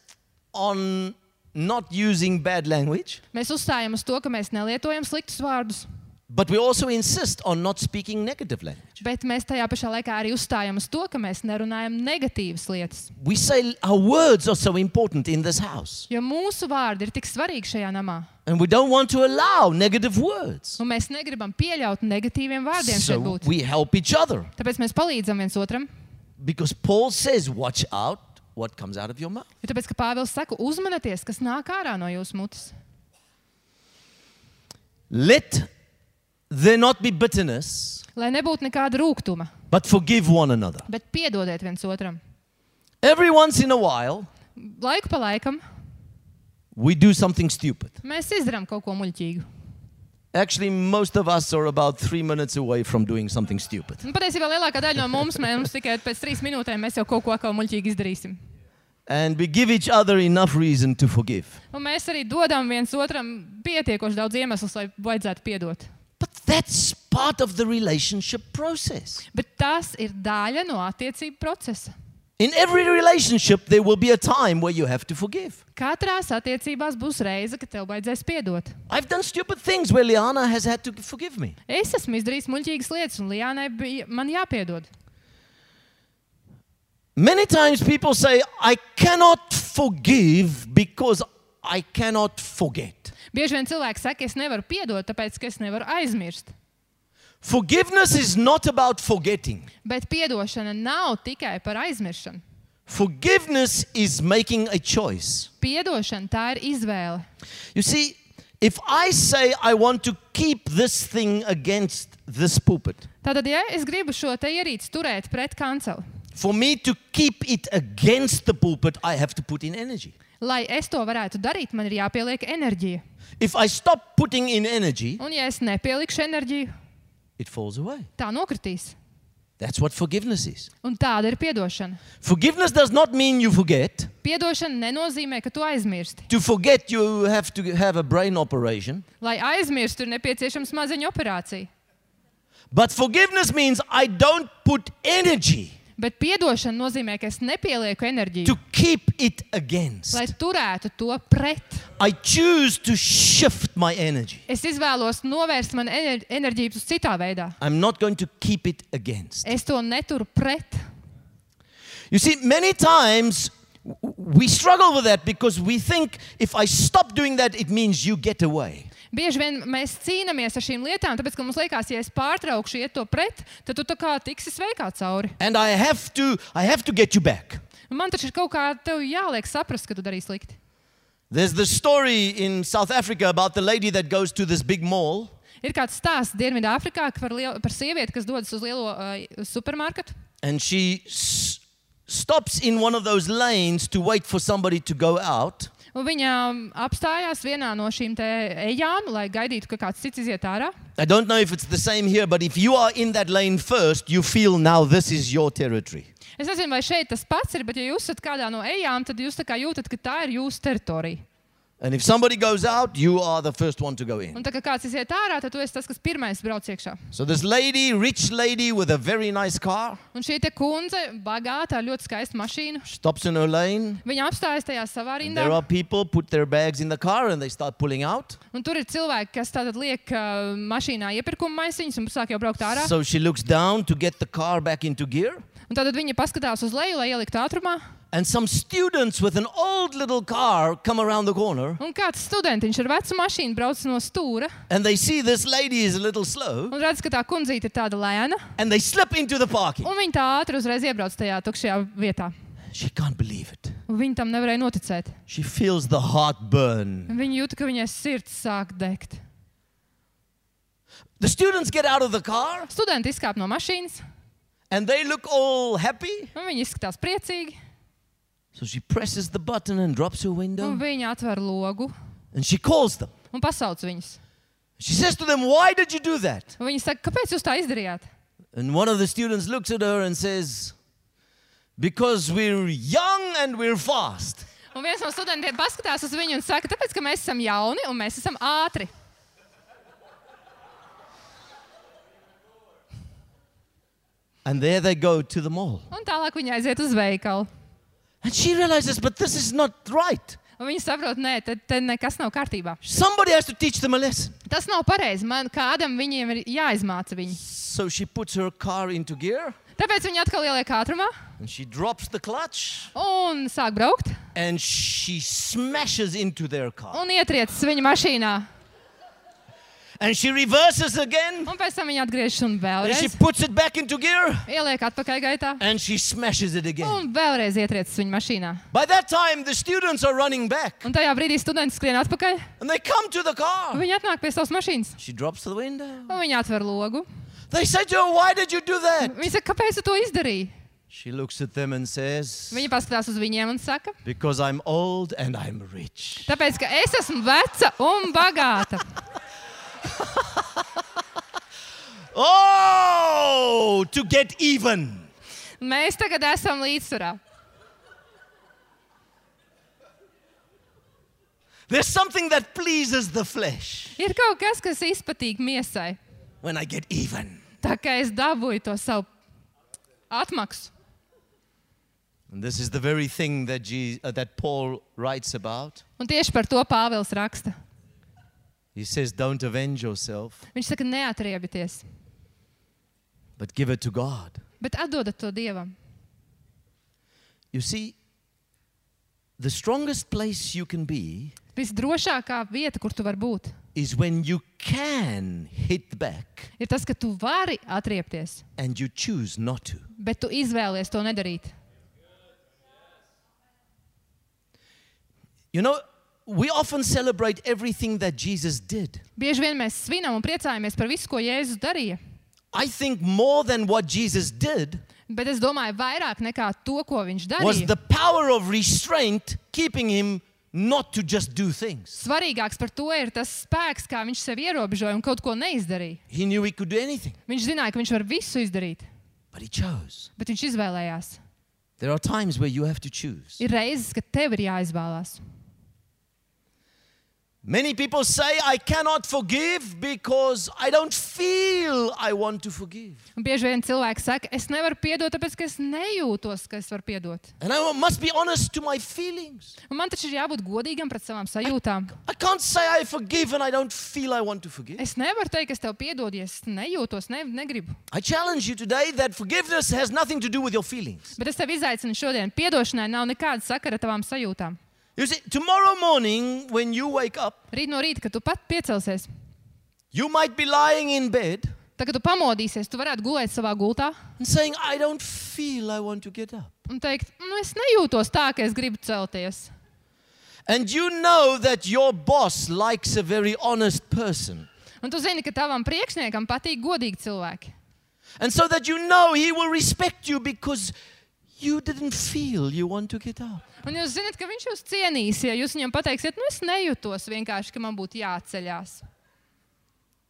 on not using bad language, mēs uzstājam uz to, ka mēs nelietojam sliktus vārdus, but we also insist on not speaking negative language. bet mēs tajā pašā laikā arī uzstājam uz to, ka mēs nerunājam negatīvas lietas. We say our words are so important in this house, Jo mūsu vārdi ir tik svarīgi šajā namā. and we don't want to allow negative words. Un mēs negribam pieļaut negatīviem vārdiem šeit So būt. we help each other, Tāpēc mēs palīdzam viens otram. because Paul says, watch out what comes out of your mouth. Jo tāpēc, ka Pāvils saka, uzmanieties, kas nāk ārā no jūsu mutes. Let there not be bitterness, Lai nebūtu nekāda rūgtuma, but forgive one another. bet piedodiet viens otram. Every once in a while, Laiku pa laikam we do something stupid. mēs izdarām kaut ko muļķīgu. Actually, most of us are about 3 minutes away from doing something stupid. Un patiesībā lielākā daļa no mums tikai pēc 3 minūtēm mēs jau kaut ko atkal muļķīgi izdarīsim. And we give each other enough reason to forgive. Un mēs arī dodam viens otram pietiekoši daudz iemeslus, lai vajadzētu piedot. But that's part of the relationship process. Bet tas ir daļa no attiecību procesa. In every relationship, there will be a time where you have to forgive. Katrās attiecībās būs reize, kad tev vajadzēs piedot. I've done stupid things where Liana has had to forgive me. Es esmu izdarījis muļķīgas lietas, un Lijānai bija man jāpiedod. Many times people say, I cannot forgive because I cannot forget. Bieži vien cilvēki saka, es nevaru piedot, tāpēc, ka es nevaru aizmirst. Forgiveness is not about forgetting. Bet piedošana nav tikai par aizmiršanu. Forgiveness is making a choice. Piedošana tā ir izvēle. You see, if I say I want to keep this thing against this pulpit, Tātad, ja es gribu šo te ierīci turēt pret kanceli, for me to keep it against the pulpit, I have to put in energy. lai es to varētu darīt, man ir jāpieliek enerģija. If I stop putting in energy, Un ja es nepielikšu enerģiju, it falls away. tā nokritīs. That's what forgiveness is. Un tāda ir piedošana. Forgiveness does not mean you forget. Piedošana nenozīmē, ka tu aizmirsti. To forget, you have to have a brain operation. Lai aizmirstu, ir nepieciešama smadzeņu operācija. But forgiveness means I don't put energy Bet piedošana nozīmē, ka es nepielieku enerģiju, to keep it against. lai turētu to pret. I choose to shift my energy. Es izvēlos novērst man enerģiju uz citā veidā. I'm not going to keep it against. Es to neturu pret. You see, many times we struggle with that because we think if I stop doing that, it means you get away. Bieži vien mēs cīnāmies ar šīm lietām, tāpēc, ka mums liekas, ja es pārtraukšu iet to pret, tad tu tā kā tiksi sveikā cauri. And I have to get you back. Un man taču ir kaut kā tev jāliek saprast, ka tu darīsi slikti. There's the story in South Africa about the lady that goes to this big mall. Ir kāds stāsts Dienvidāfrikā par sievieti, kas dodas uz lielo supermarketu. And she stops in one of those lanes to wait for somebody to go out. Un viņa apstājās vienā no šīm te ejām, lai gaidītu, ka kāds cits iziet ārā. I don't know if it's the same here, but if you are in that lane first, you feel now this is your territory. Es nezinu, vai šeit tas pats ir, bet ja jūs esat kādā no ejām, tad jūs tā kā jūtat, ka tā ir jūsu teritorija. And if somebody goes out, you are the first one to go in. Un tā kā kāds iziet ārā, tad tu esi tas, kas pirmais brauc iekšā. So this lady, rich lady with a very nice car, Un šī te kundze, bagāta, ar ļoti skaistu mašīnu, stops in her lane. viņa apstājas tajā savā And rindā. there are people put their bags in the car and they start pulling out. Un tur ir cilvēki, kas tātad liek mašīnā iepirkuma maisiņus un sāk jau braukt ārā. So she looks down to get the car back into gear. Un tātad viņa paskatās uz leju, lai ieliktu ātrumā. And some students with an old little car come around the corner Un kāds studentiņš ar vecu mašīnu brauc no stūra and they see this lady is a little slow un redz, ka tā kundzīte ir tāda lēna. and they slip into the parking. Un viņa tā ātri uzreiz iebrauc tajā tukšajā vietā. She can't believe it. Un viņa tam nevarēja noticēt. She feels the heart burn. Un viņa jūta, ka viņai sirds sāk degt. The students get out of the car Studenti izkāp no mašīnas, and they look all happy. un viņi izskatās priecīgi. So she presses the button and drops her Un window viņa atver logu and she calls them. un pasauc viņus. She says to them, "Why did you do that?" Un viņi saka, kāpēc jūs tā izdarījāt? And one of the students looks at her and says, "Because we're young and we're fast." Un viens no studentiem paskatās uz viņu un saka, tāpēc, ka mēs esam jauni un mēs esam ātri. And there they go to the mall. Un tālāk viņi aiziet uz veikalu. And she realizes, but this is not right. Un viņi saprot, nē, te nekas nav kārtībā. Somebody has to teach them a lesson. Tas nav pareizi. Man kādam viņiem ir jāizmāca viņi. So she puts her car into gear Tāpēc viņi atkal ieliek ātrumā and she drops the clutch un sāk braukt and she smashes into their car. un ietriecas viņa mašīnā. And she reverses again Un pēc tam viņa atgriežas un and she vēlreiz puts it back into gear ieliek atpakaļ gaitā and she smashes it again. un vēlreiz ietriecas viņa mašīnā. By that time, the students are running back Un tajā brīdī studenti skrien atpakaļ. and they come to the car. Viņi atnāk pie savas mašīnas She drops the window. un viņi atver logu. They say to her, "Why did you do that?" Viņi saka, kāpēc tu to izdarīji? She looks at them and says, Viņa paskatās uz viņiem un saka, "Because I'm old and I'm rich." tāpēc, ka es esmu veca un bagāta. Oh, to get even. Mēs tagad esam līdzsvarā. There's something that pleases the flesh Ir kaut kas, kas izpatīk miesai. when I get even. Tā kā es dabūju to savu atmaksu. And this is the very thing that Paul writes about. Un tieši par to Pāvils raksta. He says, "Don't avenge yourself, Viņš saka, neatriebieties, but give it to God." bet atdodat to Dievam. You see, the strongest place you can be Visdrošākā vieta, kur tu vari būt, is when you can hit back ir tas, ka tu vari atriebties, and you choose not to. bet tu izvēlies to nedarīt. You know, we often celebrate everything that Jesus did. Bieži vien mēs svinam un priecājamies par visu, ko Jēzus darīja. I think more than what Jesus did Bet es domāju, vairāk nekā to, ko viņš was darīja. the power of restraint keeping him not to just do things. Svarīgāks par to ir tas spēks, kā viņš sevi ierobežoja un kaut ko neizdarīja. He knew he could do anything, Viņš zināja, ka viņš var visu izdarīt, but he chose. bet viņš izvēlējās. There are times where you have to choose. Ir reizes, kad tev ir jāizvēlās. Many people say, "I cannot forgive because I don't feel I want to forgive." Un bieži vien cilvēki saka, es nevaru piedot, tāpēc, ka es nejūtos, ka es varu piedot. And I must be honest to my feelings. Un man taču ir jābūt godīgam pret savām sajūtām. I can't say I forgive and I don't feel I want to forgive. Es nevaru teikt, ka es tev piedodu, ja es nejūtos, negribu. I challenge you today that forgiveness has nothing to do with your feelings. Bet es tev izaicinu šodien. Piedošanai nav nekāda sakara ar tavām sajūtām. You see, tomorrow morning when you wake up, Rīt no rīta, kad tu pat piecelsies, you might be lying in bed tad, kad tu pamodīsies, tu varētu gulēt savā gultā and saying, "I don't feel I want to get up." un teikt, es nejūtos tā, ka es gribu celties. And you know that your boss likes a very honest person. Un tu zini, ka tavam priekšniekam patīk godīgi cilvēki. And so that you know he will respect you because you didn't feel you want to get up. Un jūs zināt, ka viņš jūs cienīs, ja jūs viņam pateiksiet, es nejūtos vienkārši, ka man būtu jāceļās.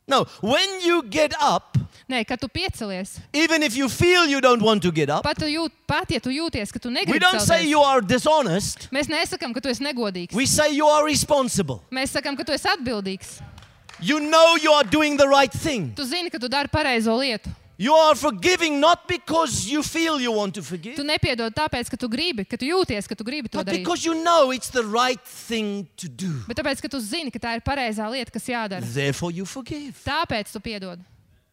No, when you get up, Nē, kad tu piecelies, even if you feel you don't want to get up, pat ja tu jūties, ka tu we negribi don't say celties, you are dishonest. mēs nesakām, ka tu esi negodīgs. We say you are responsible. Mēs sakām, ka tu esi atbildīgs. You know you are doing the right thing. Tu zini, ka tu dari pareizo lietu. You are forgiving not because you feel you want to forgive, Tu nepiedod tāpēc, ka tu gribi, ka tu jūties, ka tu gribi to but darīt. because you know it's the right thing to do. Bet tāpēc, ka tu zini, ka tā ir pareizā lieta, kas jādara. Therefore you forgive. Tāpēc tu piedod.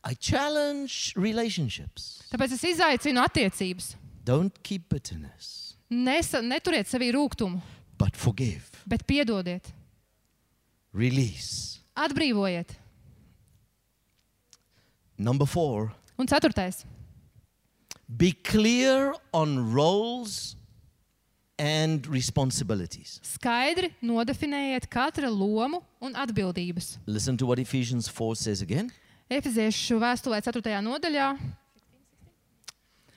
I challenge relationships. Tāpēc es izaicinu attiecības. Don't keep bitterness, Neturiet sevī rūgtumu, but forgive. bet piedodiet. Release. Atbrīvojiet. Number 4, Un ceturtais. be clear on roles and responsibilities. Skaidri nodefinējiet katra lomu un atbildības. Listen to what Ephesians 4 says again. Efeziešu vēstulē 4. nodaļā,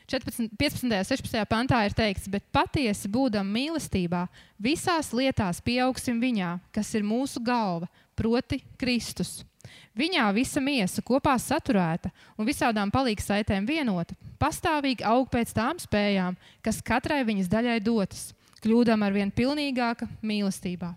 15. 16. pantā ir teikts, bet patiesi būdam mīlestībā, visās lietās pieaugsim viņā, kas ir mūsu galva, proti Kristus. Viņā visa miesa kopā saturēta un visādām palīgsaitēm vienota, pastāvīgi aug pēc tām spējām, kas katrai viņas daļai dotas, kļūdam arvien pilnīgāka mīlestībā.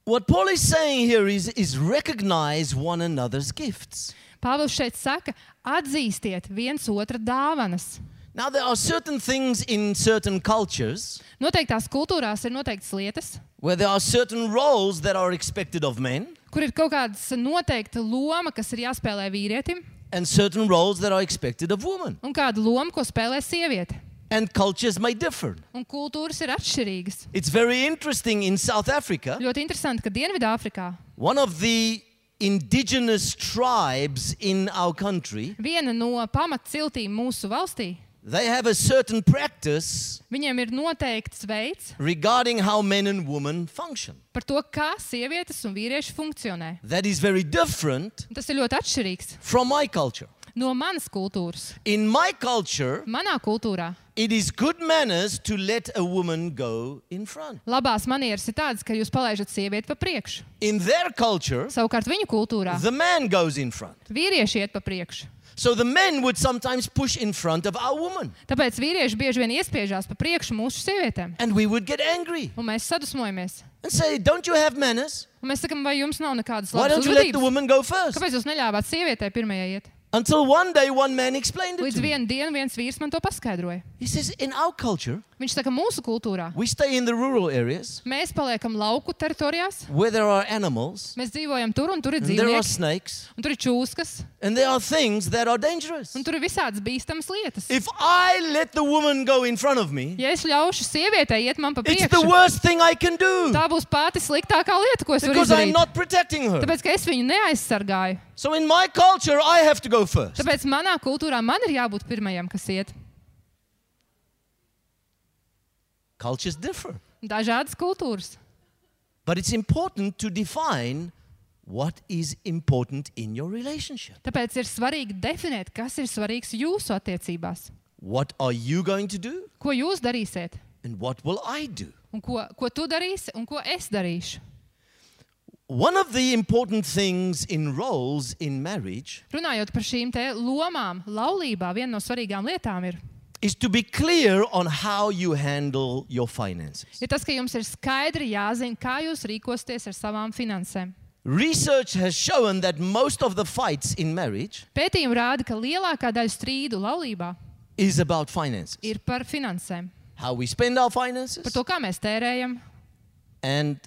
What Paul is saying here is recognize one another's gifts. Pāvils šeit saka, atzīstiet viens otra dāvanas. Now, there are certain things in certain cultures Noteiktās kultūrās ir noteiktas lietas, where there are certain roles that are expected of men kur ir kaut kāda noteikta loma, kas ir jāspēlē vīrietim, and certain roles that are expected of women. un kāda loma, ko spēlē sieviete. And cultures may differ. Un kultūras ir atšķirīgas. It's very interesting in South Africa. Ļoti interesanti, ka Dienvidāfrikā One of the indigenous tribes in our country, viena no pamatciltīm mūsu valstī, they have a certain practice viņiem ir noteikts veids regarding how men and women function. par to, kā sievietes un vīrieši funkcionē. That is very different Un tas ir ļoti atšķirīgs from my culture. no manas kultūras. In my culture, Manā kultūrā it is good manners to let a woman go in front. labās manieres ir tādas, ka jūs palaižat sievieti pa priekšu. In their culture, Savukārt viņu kultūrā the man goes in front. vīrieši iet pa priekšu. So the men would sometimes push in front of our woman. Tāpēc vīrieši bieži vien iespiežās pa priekšu mūsu sievietēm. And we would get angry Un mēs sadusmojamies. and say, don't you have manners? Un mēs sakam, vai jums nav nekādas Why labas don't you let the uzvedības? woman go first? Kāpēc jūs neļāvāt sievietei pirmajai iet? Until one day, one man explained it Līdz to me. vienu dienu viens vīrs man to paskaidroja. He says, in our culture, Viņš saka, mūsu kultūrā we stay in the rural areas mēs paliekam lauku teritorijās, where there are animals, mēs dzīvojam tur un tur ir and there are dzīvnieki, snakes, un tur ir čūskas, and there are things that are dangerous. un tur ir visādas bīstamas lietas. If I let the woman go in front of me, Ja es ļaušu sievietei iet man pa it's the priekšu, worst thing I can do tā būs pati sliktākā lieta, ko es varu because I'm izdarīt. not protecting her. Tāpēc, ka es viņu neaizsargāju. So in my culture, I have to go first. Tāpēc manā kultūrā man ir jābūt pirmajam, kas iet. Cultures differ. Dažādas kultūras. But it's important to define what is important in your relationship. Tāpēc ir svarīgi definēt, kas ir svarīgs jūsu attiecībās. What are you going to do Ko jūs darīsiet? and what will I do? Un ko tu darīsi un ko es darīšu? One of the important things in roles in marriage Runājot par šīm te lomām, laulībā viena no svarīgām lietām is to be clear on how you handle your finances. ir tas, ka jums ir skaidri jāzina, kā jūs rīkosieties ar savām finansēm. Research has shown that most of the fights in marriage Pētījumi rāda, ka lielākā daļa strīdu laulībā is about finances. ir par finansēm. How we spend our Par finances to, kā mēs tērējam and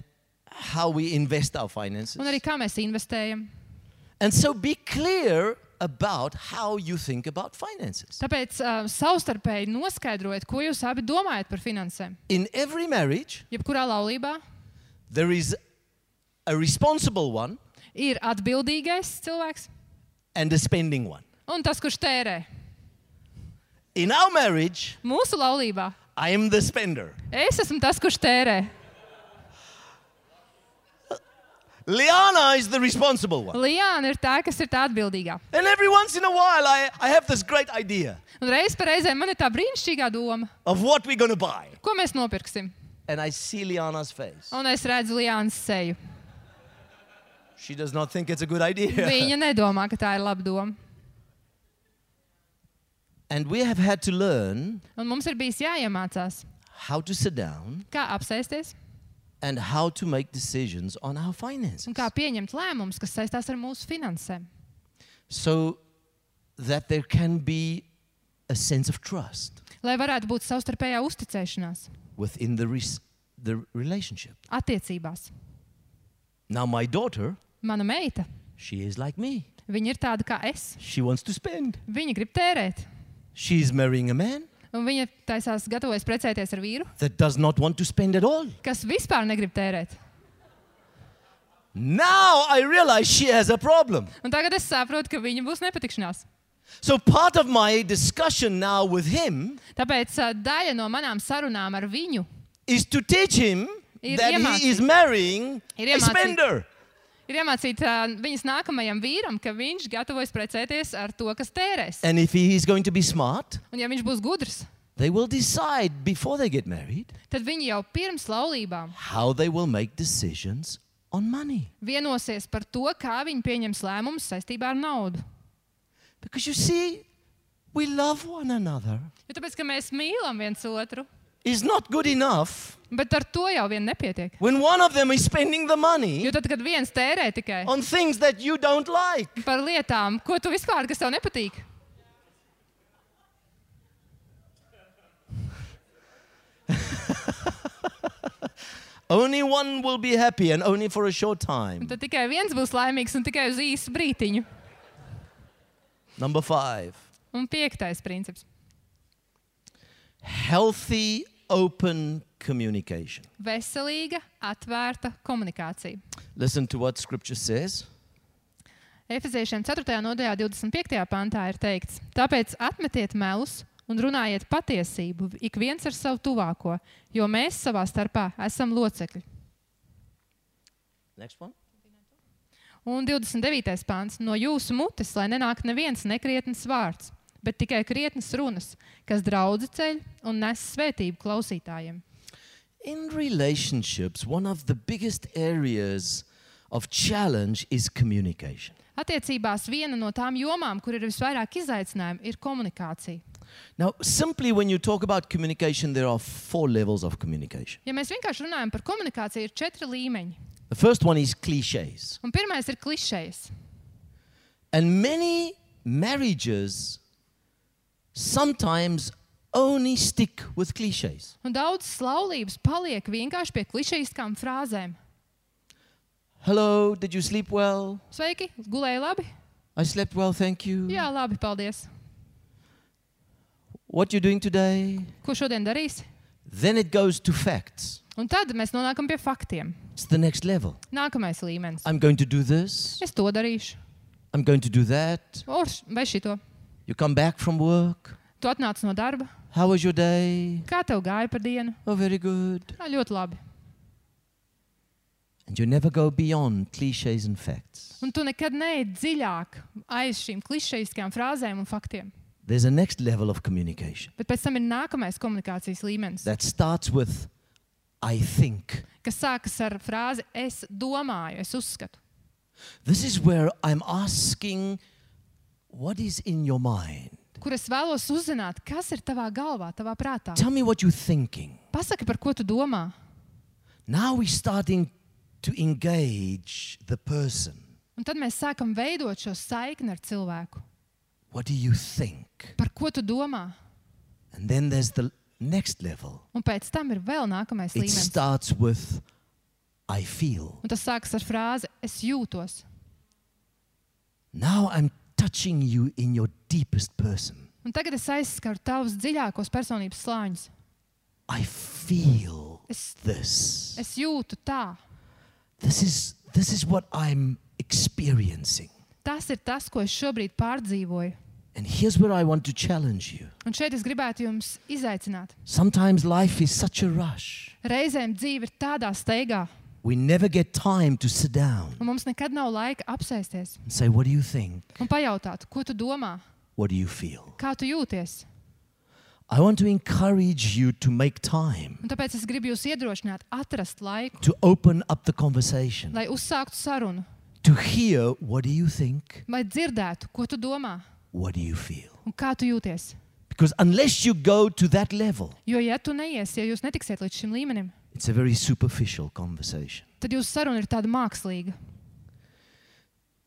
how we invest our finances. un arī kā mēs investējam. And so be clear about how you think about finances. Tāpēc savstarpēji noskaidrojiet, ko jūs abi domājat par finansēm. In every marriage, Jebkurā laulībā there is a responsible one ir atbildīgais cilvēks and a spending one. un tas, kurš tērē. In our marriage, Mūsu laulībā I am the spender. es esmu tas, kurš tērē. Liana is the responsible one. Liāna ir tā, kas ir tā atbildīgā. And every once in a while, I have this great idea Un reiz pa reizēm man ir tā brīnišķīgā doma, of what we're going to buy. ko mēs nopirksim. And I see Liana's face. Un es redzu Liānas seju. She does not think it's a good idea. Viņa nedomā, ka tā ir laba doma. And we have had to learn Un mums ir bijis jāiemācās, how to sit down kā apsēsties and how to make decisions on our finances un kā pieņemt lēmumus, kas saistās ar mūsu finansēm. so that there can be a sense of trust Lai varētu būt savstarpējā uzticēšanās within the relationship. attiecībās. Now, my daughter, Mana meita, she is like me. viņa ir tāda kā es. She wants to spend. Viņa grib tērēt. She is marrying a man Un viņa taisās gatavojas precēties ar vīru, that does not want to spend at all. kas vispār negrib tērēt. Now I realize she has a problem. Un tagad es saprotu, ka viņa būs nepatikšanās. So part of my discussion now with him Tāpēc daļa no manām sarunām ar viņu is to teach him Ir that iemācīt. he is marrying Ir a iemācīt. spender. Ir iemācīta viņas nākamajam vīram, ka viņš gatavojas precēties ar to, kas tērēs. And if he is going to be smart, Un ja viņš būs gudrs, they will decide before they get married tad viņi jau pirms laulībām how they will make decisions on money. vienosies par to, kā viņi pieņems lēmumus saistībā ar naudu. Because you see, we love one another. Jo tāpēc, ka mēs mīlam viens otru, It's not good enough bet ar to jau vien nepietiek. when one of them is spending the money Jo tad, kad viens tērē tikai on things that you don't like. par lietām, ko tu vispār, kas tev nepatīk, Only one will be happy and only for a short time. tad tikai viens būs laimīgs un tikai uz īsu brītiņu. Number 5. Un 5. princips. Healthy, open communication. Veselīga, atvērta komunikācija. Listen to what Scripture says. Efeziešiem 4. nodaļā 25. pantā ir teikts: Tāpēc atmetiet melus un runājiet patiesību, ik viens ar savu tuvāko, jo mēs savā starpā esam locekļi. Next one. Un 29. pants: No jūsu mutes, lai nenāk neviens nekrietns vārds, bet tikai krietnas runas, kas draudzi ceļ un nes svētību klausītājiem. In relationships, one of the biggest areas of challenge is communication. Attiecībās viena no tām jomām, kur ir visvairāk izaicinājumu, ir komunikācija. Now, simply when you talk about communication, there are 4 levels of communication. Ja mēs vienkārši runājam par komunikāciju, ir 4 līmeņi. The first one is cliches. Un pirmais ir klišejas. And many marriages sometimes only stick with cliches. Un daudzas laulības paliek vienkārši pie klišejiskām frāzēm. Hello, did you sleep well? Sveiki, gulēji labi? I slept well, thank you. Jā, labi, paldies. What you doing today? Ko šodien darīsi? Then it goes to facts. Un tad mēs nonākam pie faktiem. It's the next level. Nākamais līmenis. I'm going to do this. Es to darīšu. I'm going to do that. Vai šito? You come back from work. Tu atnāc no darba. How was your day? Kā tev gāja par dienu? Oh, very good. Ļoti labi. And you never go beyond cliches and facts. Un tu nekad neej dziļāk aiz šīm klišejiskajām frāzēm un faktiem. There's a next level of communication Bet pēc tam ir nākamais komunikācijas līmenis, that starts with I think. kas sākas ar frāzi es domāju, es uzskatu. This is where I'm asking what is in your mind. Kur es vēlos uzzināt, kas ir tavā galvā, tavā prātā. Tell me what you're thinking. Pasaki, par ko tu domā. Now we're starting to engage the person. Un tad mēs sākam veidot šo saikni ar cilvēku. What do you think? Par ko tu domā? And then there's the next level. Un pēc tam ir vēl nākamais It līmenis. starts with I feel. Un tas sākas ar frāzi es jūtos. Now I'm touching you in your deepest person. Un tagad es aizskaru tavus dziļākos personības slāņus. I feel Es this. jūtu tā. This is what I'm experiencing. Tas ir tas, ko es šobrīd pārdzīvoju. And here's where I want to challenge you. Un šeit es gribētu jums izaicināt. Sometimes life is such a rush. Reizēm dzīve ir tādā steigā, We never get time to sit down un mums nekad nav laika apsēsties and say, what do you think? un pajautāt, ko tu domā, What do you feel? kā tu jūties. I want to encourage you to make time Un tāpēc es gribu jūs iedrošināt, atrast laiku, to open up the conversation, lai uzsāktu sarunu, to hear what do you think? lai dzirdētu, ko tu domā What do you feel? un kā tu jūties. Because unless you go to that level, Jo, ja tu neiesi, ja jūs netiksiet līdz šim līmenim, it's a very superficial conversation. tad jūsu saruna ir tāda mākslīga.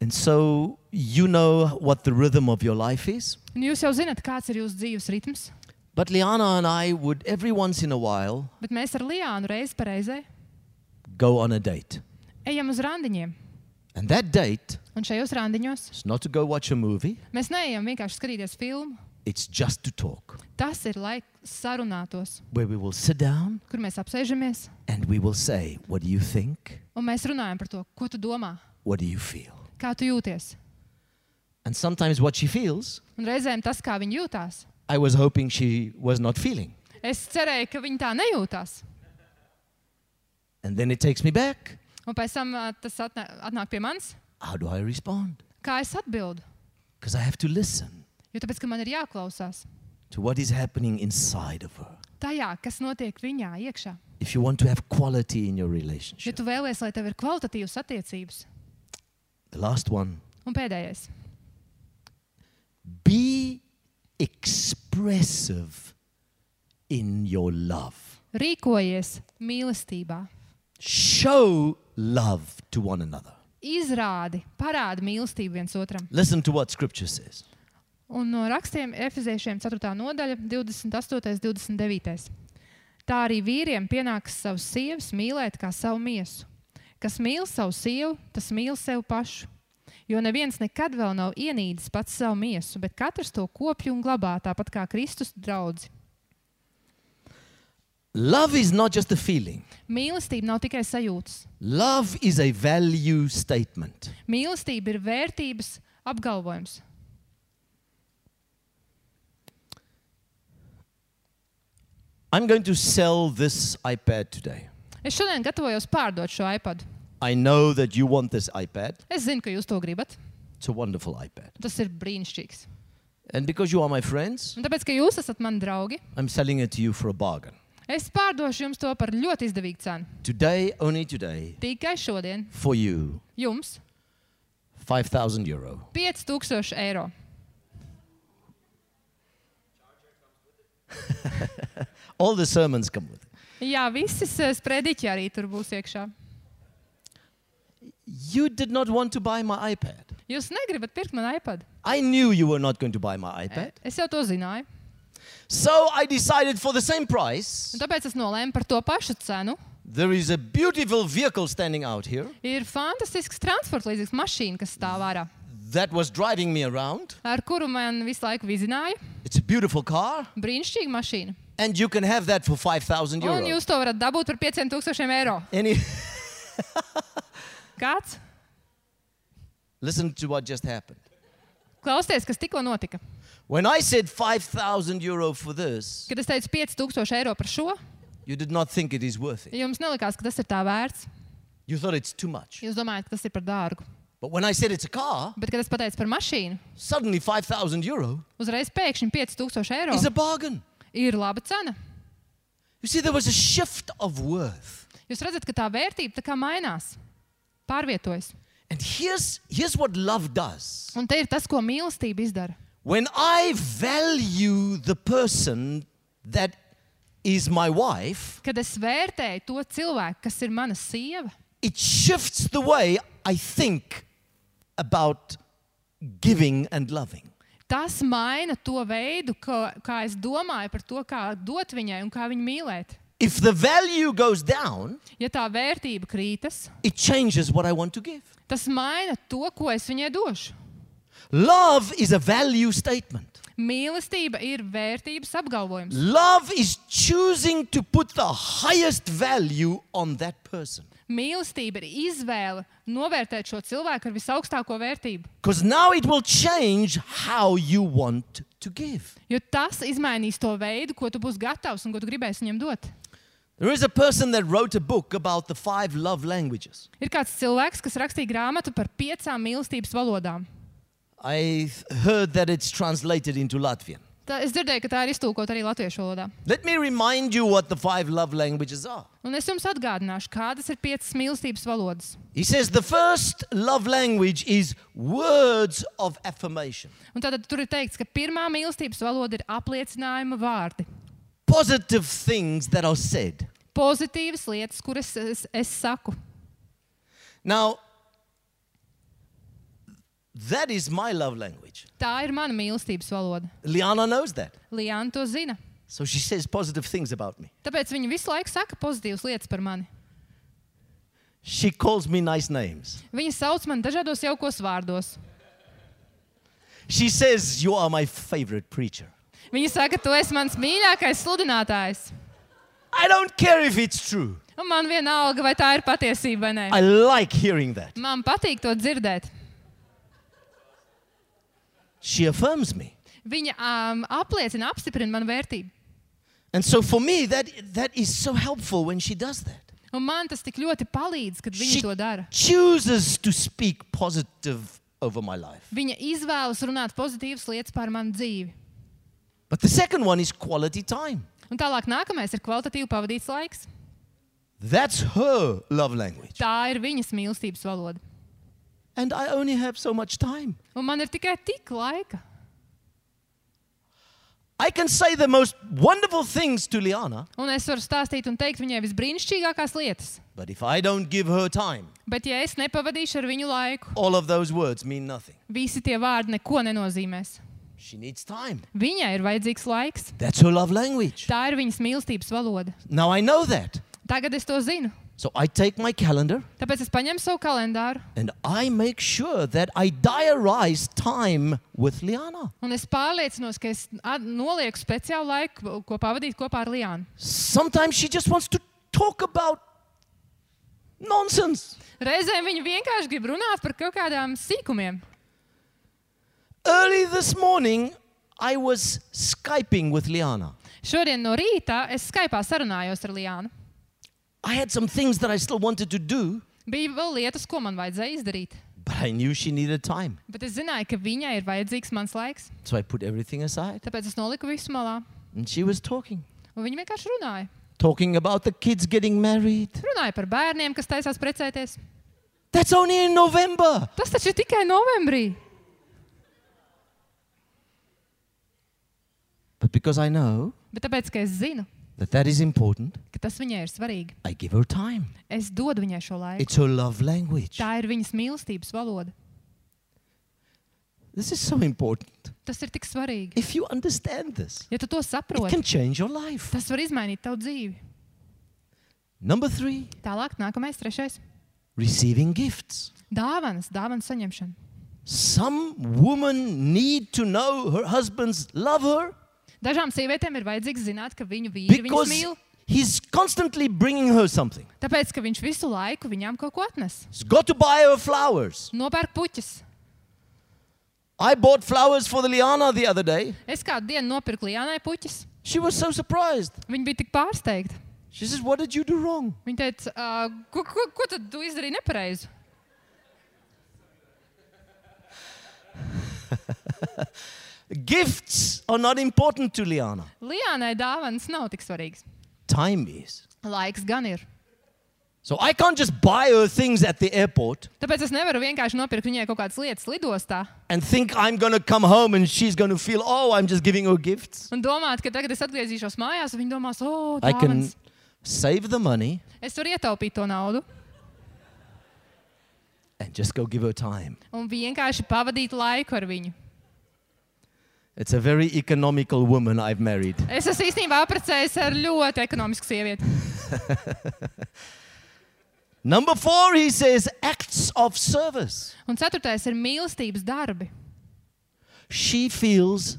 And so you know what the rhythm of your life is. Un jūs jau zinat, kāds ir jūsu dzīves ritms, But Liana and I would every once in a while bet mēs ar Liānu reizi pa reizei go on a date. ejam uz randiņiem. And that date Un šajos randiņos is not to go watch a movie, mēs neejam vienkārši skatīties filmu. it's just to talk. Tas ir, lai sarunātos, Where we will sit down kur mēs apsēžamies and we will say, what do you think? un mēs runājam par to, ko tu domā, What do you feel? kā tu jūties. And sometimes what she feels, Un reizēm tas, kā viņi jūtās. I was hoping she was not feeling. Es cerēju, ka viņi tā nejūtās. And then it takes me back. Un pēc tam tas atnāk pie manis. How do I respond? Kā es atbildu? Because I have to listen Jo tāpēc, ka man ir jāklausās to what is happening inside of her. tajā, kas notiek viņā iekšā. If you want to have quality in your Ja relationship. tu vēlies, lai tev ir kvalitatīvas attiecības. The last one. Un pēdējais. Be expressive in your love. Rīkojies mīlestībā. Show love to one another. Izrādi, parādi mīlestību viens otram. Listen to what Scripture says. Un no rakstiem Efeziešiem 4. nodaļa, 28. 29. Tā arī vīriem pienākas savus sievas mīlēt kā savu miesu. Kas mīl savu sievu, tas mīl sev pašu. Jo neviens nekad vēl nav ienīdis pats savu miesu, bet katrs to kopj un glabā, tāpat kā Kristus draudzi. Love is not just a feeling. Mīlestība nav tikai sajūtas. Love is a value statement. Mīlestība ir vērtības apgalvojums. I'm going to sell this iPad today. Es šodien gatavojos pārdot šo iPad. I know that you want this iPad. Es zinu, ka jūs to gribat. It's a wonderful iPad. Tas ir brīnišķīgs. And because you are my friends, Un tāpēc, ka jūs esat mani draugi, I'm selling it to you for a bargain. es pārdošu jums to par ļoti izdevīgu cenu. Today, only today, Tikai šodien for you, jums €5,000. 5,000 eiro. All the sermons come with it. Jā, visas sprediķi arī tur būs iekšā. You did not want to buy my iPad. Jūs negribat pirkt man iPad. I knew you were not going to buy my iPad. Es jau to zināju. So I decided for the same price. Un tāpēc es nolēmu par to pašu cenu. There is a beautiful vehicle standing out here Ir fantastisks transporta līdzīgs mašīna, kas stāv ārā, that was driving me around. ar kuru man visu laiku vizināja. It's a beautiful car. Brīnišķīga mašīna. And you can have that for €5,000. Un jūs to varat dabūt par 5,000 eiro. Kāds? Listen to what just happened. Klausieties, kas tikko notika. When I said €5,000 for this, Kad es teicu 5,000 eiro par šo, you did not think it is worth it. jums nelikās, ka tas ir tā vērts. You thought it's too much. Jūs domājat, ka tas ir par dārgu. But when I said it's a car, Bet, kad es pateicu par mašīnu, suddenly €5,000 uzreiz pēkšņi 5,000 eiro is a bargain. ir laba cena. You see, there was a shift of worth. Jūs redzat, ka tā vērtība tā kā mainās, pārvietojas. And here's what love does. Un te ir tas, ko mīlestība izdara. When I value the person that is my wife, Kad es vērtēju to cilvēku, kas ir mana sieva, it shifts the way I think about giving and loving. tas maina to veidu, kā es domāju par to, kā dot viņai un kā viņu mīlēt. If the value goes down, Ja tā vērtība krītas, it changes what I want to give. tas maina to, ko es viņai došu. Love is a value statement. Mīlestība ir vērtības apgalvojums. Love is choosing to put the highest value on that person. Mīlestība ir izvēle novērtēt šo cilvēku ar visaugstāko vērtību. Because now it will change how you want to give. Jo tas izmainīs to veidu, ko tu būsi gatavs un ko tu gribēsi viņam dot. There is a person that wrote a book about the 5 love languages. Ir kāds cilvēks, kas rakstīja grāmatu par 5 mīlestības valodām. I heard that it's translated into Latvian. Es dzirdēju, ka tā ir iztulkota arī latviešu valodā. Let me remind you what the 5 love languages are. Un es jums atgādināšu, kādas ir 5 mīlestības valodas. He says the first love language is words of affirmation. Un tātad tur ir teikts, ka pirmā mīlestības valoda ir apliecinājuma vārdi. Positive things that are said. Pozitīvas lietas, kuras es saku. Now, that is my love language. Tā ir mana mīlestības valoda. Liana knows that. Liana to zina. So she says positive things about me. Tāpēc viņa visu laiku saka pozitīvas lietas par mani. She calls me nice names. Viņa sauc mani dažādos jaukos vārdos. She says, you are my favorite preacher. Viņa saka, tu esi mans mīļākais sludinātājs. I don't care if it's true. Un man vienalga, vai tā ir patiesība vai nē. I like hearing that. Man patīk to dzirdēt. She affirms me. Viņa apstiprina manu vērtību. And so for me, that is so helpful when she does that. Un man tas tik ļoti palīdz, kad viņa She to dara. chooses to speak positive over my life. Viņa izvēlas runāt pozitīvas lietas par manu dzīvi. But the second one is quality time. Un tālāk nākamais ir kvalitatīvi pavadīts laiks. That's her love language. Tā ir viņas mīlestības valoda. And I only have so much time. Un man ir tikai tik laika. I can say the most wonderful things to Liana, Un es varu stāstīt un teikt viņai visbrīnišķīgākās lietas. but if I don't give her time, Bet ja es nepavadīšu ar viņu laiku, all of those words mean nothing. visi tie vārdi neko nenozīmēs. She needs time. Viņai ir vajadzīgs laiks. That's her love language. Tā ir viņas mīlestības valoda. Now I know that. Tagad es to zinu. So I take my calendar Tāpēc es paņemu savu kalendāru and I make sure that I diarize time with Liana. un es pārliecinos, ka es nolieku speciālu laiku, ko pavadīt kopā ar Liānu. Sometimes she just wants to talk about nonsense. Reizēm viņa vienkārši grib runāt par kaut kādām sīkumiem. Early this morning, I was Skyping with Liana. Šodien no rīta es Skypā sarunājos ar Liānu. I had some things that I still wanted to do, Bija vēl lietas, ko man vajadzēja izdarīt. but I knew she needed time. Bet es zināju, ka viņai ir vajadzīgs mans laiks. So I put everything aside. Tāpēc es noliku visu malā. And she was talking. Un viņa vienkārši runāja. Talking about the kids getting married. Runāja par bērniem, kas taisās precēties. That's only in November. Tas taču ir tikai novembrī. But because I know Bet tāpēc, ka es zinu, that that is important, ka tas viņai ir svarīgi, I give her time. es dodu viņai šo laiku. It's her love language. Tā ir viņas mīlestības valoda. This is so important. Tas ir tik svarīgi. If you understand this, Ja tu to it saproti, can change your life. tas var izmainīt tavu dzīvi. Number 3, Tālāk, nākamais, trešais. receiving gifts. Dāvanas saņemšana. Some women need to know her husbands love her Dažām sievietēm ir vajadzīgs zināt, ka viņu vīri viņus because mīl. he's constantly bringing her something. Tāpēc, ka viņš visu laiku viņām kaut ko atnes. He's got to buy her flowers. Nopērk puķis. I bought flowers for the Liana the other day. Es kādu dienu nopirku Liānai puķis. She was so surprised. Viņa bija tik pārsteigta. She says, "What did you do wrong?" Viņa teica, ko tad tu izdarīji nepareizi? Gifts are not important to Liana. Liānai dāvanas nav tik svarīgas. Time is. Laiks gan ir. So I can't just buy her things at the airport Tāpēc es nevaru vienkārši nopirkt viņai kaut kādas lietas lidostā and think I'm going to come home and she's going to feel, "Oh, I'm just giving her gifts." un domāt, ka tagad es atgriezīšos mājās, un viņa domās, I can dāvanas. save the money Es varu ietaupīt to naudu and just go give her time. un vienkārši pavadīt laiku ar viņu. It's a very economical woman I've married. Es esmu īstenībā apprecējis ar ļoti ekonomisku sievieti. Number 4, he says, acts of service. Un ceturtais ir mīlestības darbi. She feels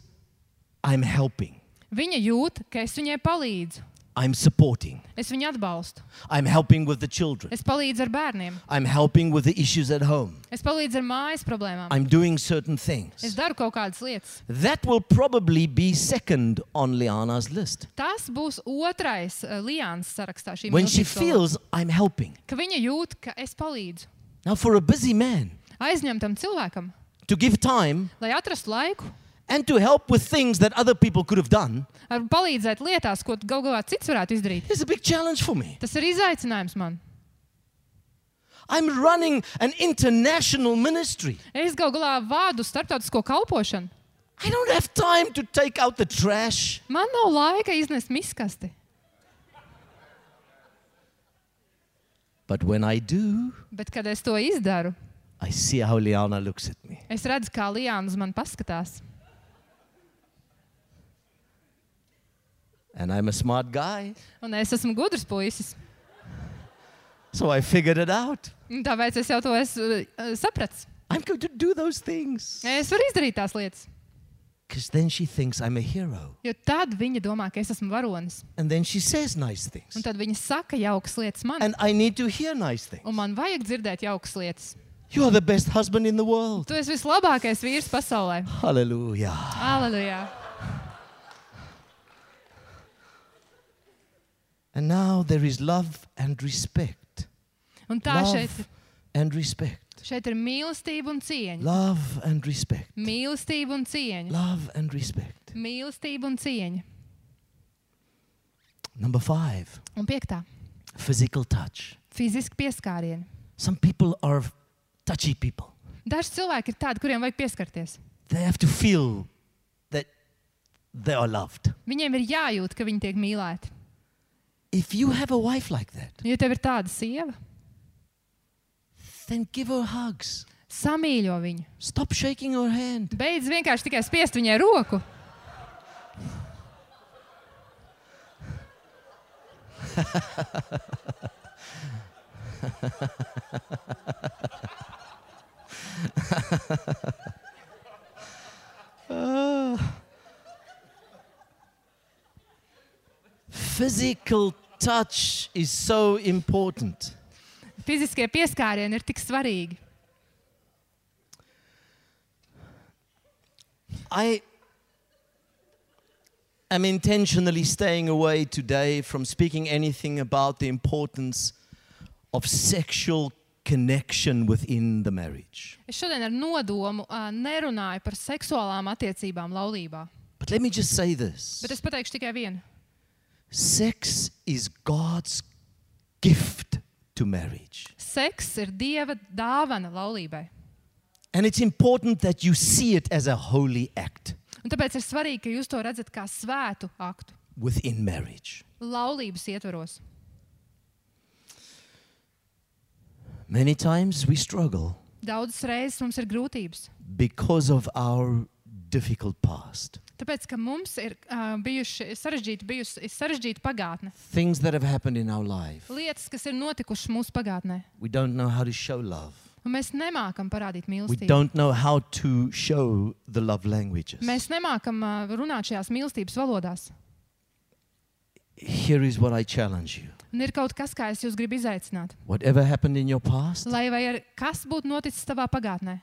I'm helping. Viņa jūt, ka es viņai palīdzu. I'm supporting. Es viņu atbalstu. I'm helping with the children. Es palīdzu ar bērniem. I'm helping with the issues at home. Es palīdzu ar mājas problēmām. I'm doing certain Es things. daru kaut kādas lietas. That will probably be second on Liana's list. Tas būs otrais Liānas sarakstā. Šī When she mīlestības valoda. feels I'm helping. Ka viņa jūt, ka es palīdzu. Now, for a busy man Aizņemtam cilvēkam, to give time lai atrastu laiku, and to help with things that other people could have done ar palīdzēt lietās, ko galu galā cits varētu izdarīt. is a big challenge for me. Tas ir izaicinājums man. I'm running an international ministry. Es galu galā vādu starptautisko kalpošanu. I don't have time to take out the trash. Man nav laika iznest miskasti. But when I do, Bet, kad es to izdaru, I see how Liana looks at me. es redzu, kā Liāna uz mani paskatās. And I'm a smart guy, Un es esmu gudrs puisis. so I figured it out. Un tāpēc es jau to esmu sapratis. I'm going to do those things. Es varu izdarīt tās lietas. Because then she thinks I'm a hero. Jo tad viņa domā, ka es esmu varonis. And then she says nice Un things. tad viņa saka jaukas lietas man. And I need to hear nice things. Un man vajag dzirdēt jaukas lietas. You are the best husband in the world. Tu esi vislabākais vīrs pasaulē. Hallelujah. Aleluja. And now there is love and respect. Un tā Love and respect. šeit ir mīlestība un cieņa. Love and respect. Mīlestība un cieņa. Love and respect. Mīlestība un cieņa. Number 5, Un 5. physical touch. Fiziski pieskārieni. Some people are touchy people. Daži cilvēki ir tādi, kuriem vajag pieskarties. They have to feel that they are loved. Viņiem ir jājūt, ka viņi tiek mīlēti. If you have a wife like that, Ja tev ir tāda sieva, then give her hugs. samīļo viņu. Stop shaking her hand. Beidz vienkārši tikai spiest viņai roku. Physical touch is so important. Fiziskie pieskārieni ir tik svarīgi. I am intentionally staying away today from speaking anything about the importance of sexual connection within the marriage. Es šodien ar nodomu nerunāju par seksuālām attiecībām laulībā. But let me just say this. Bet es pateikšu tikai vienu. Sex is God's gift to marriage. Seks ir Dieva dāvana laulībai. And it's important that you see it as a holy act Un tāpēc ir svarīgi, ka jūs to redzat kā svētu aktu within marriage. laulības ietvaros. Many times we struggle Daudzas reizes mums ir grūtības. because of our difficult past. Tāpēc, ka mums ir bijusi sarežģīta pagātne. Things that have happened in our life. Lietas, kas ir notikušas mūsu pagātnē. We don't know how to show love. Un mēs nemākam parādīt We mīlestību. don't know how to show the love languages. Mēs nemākam runāt šajās mīlestības valodās. Here is what I challenge you. Un ir kaut kas, kā es jūs gribu izaicināt. Whatever happened in your past, Lai vai kas būtu noticis tavā pagātnē,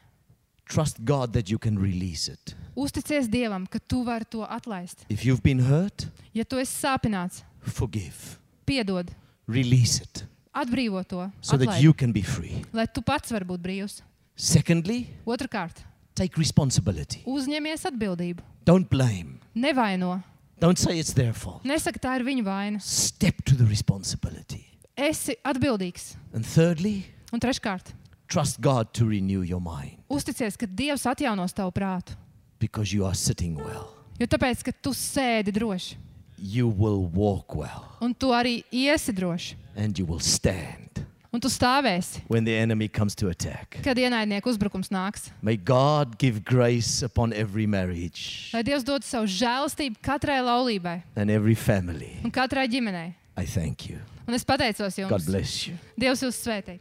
trust God that you can release it. uzticies Dievam, ka tu vari to atlaist. If you've been hurt, Ja tu esi sāpināts, forgive. piedod, Release it atbrīvo to, so that atlaid, you can be free. lai tu pats vari būt brīvs. Secondly, Otrakārt, take responsibility. uzņemies atbildību. Don't blame. Nevaino. Don't say it's their fault. Nesaka, tā ir viņa vaina. Step to the responsibility. Esi atbildīgs. And thirdly, Un treškārt, trust God to renew your mind uzticies, ka Dievs atjaunos tavu prātu. because you are sitting well. Jo tāpēc, ka tu sēdi droši. You will walk well Un tu arī iesi droši. and you will stand Un tu stāvēsi, when the enemy comes to attack. kad ienaidnieku uzbrukums nāks. May God give grace upon every marriage Lai Dievs dod savu žēlastību katrai laulībai and every family. un katrai ģimenei. I thank you. Un es pateicos God jums. bless you. Dievs jūs svētī.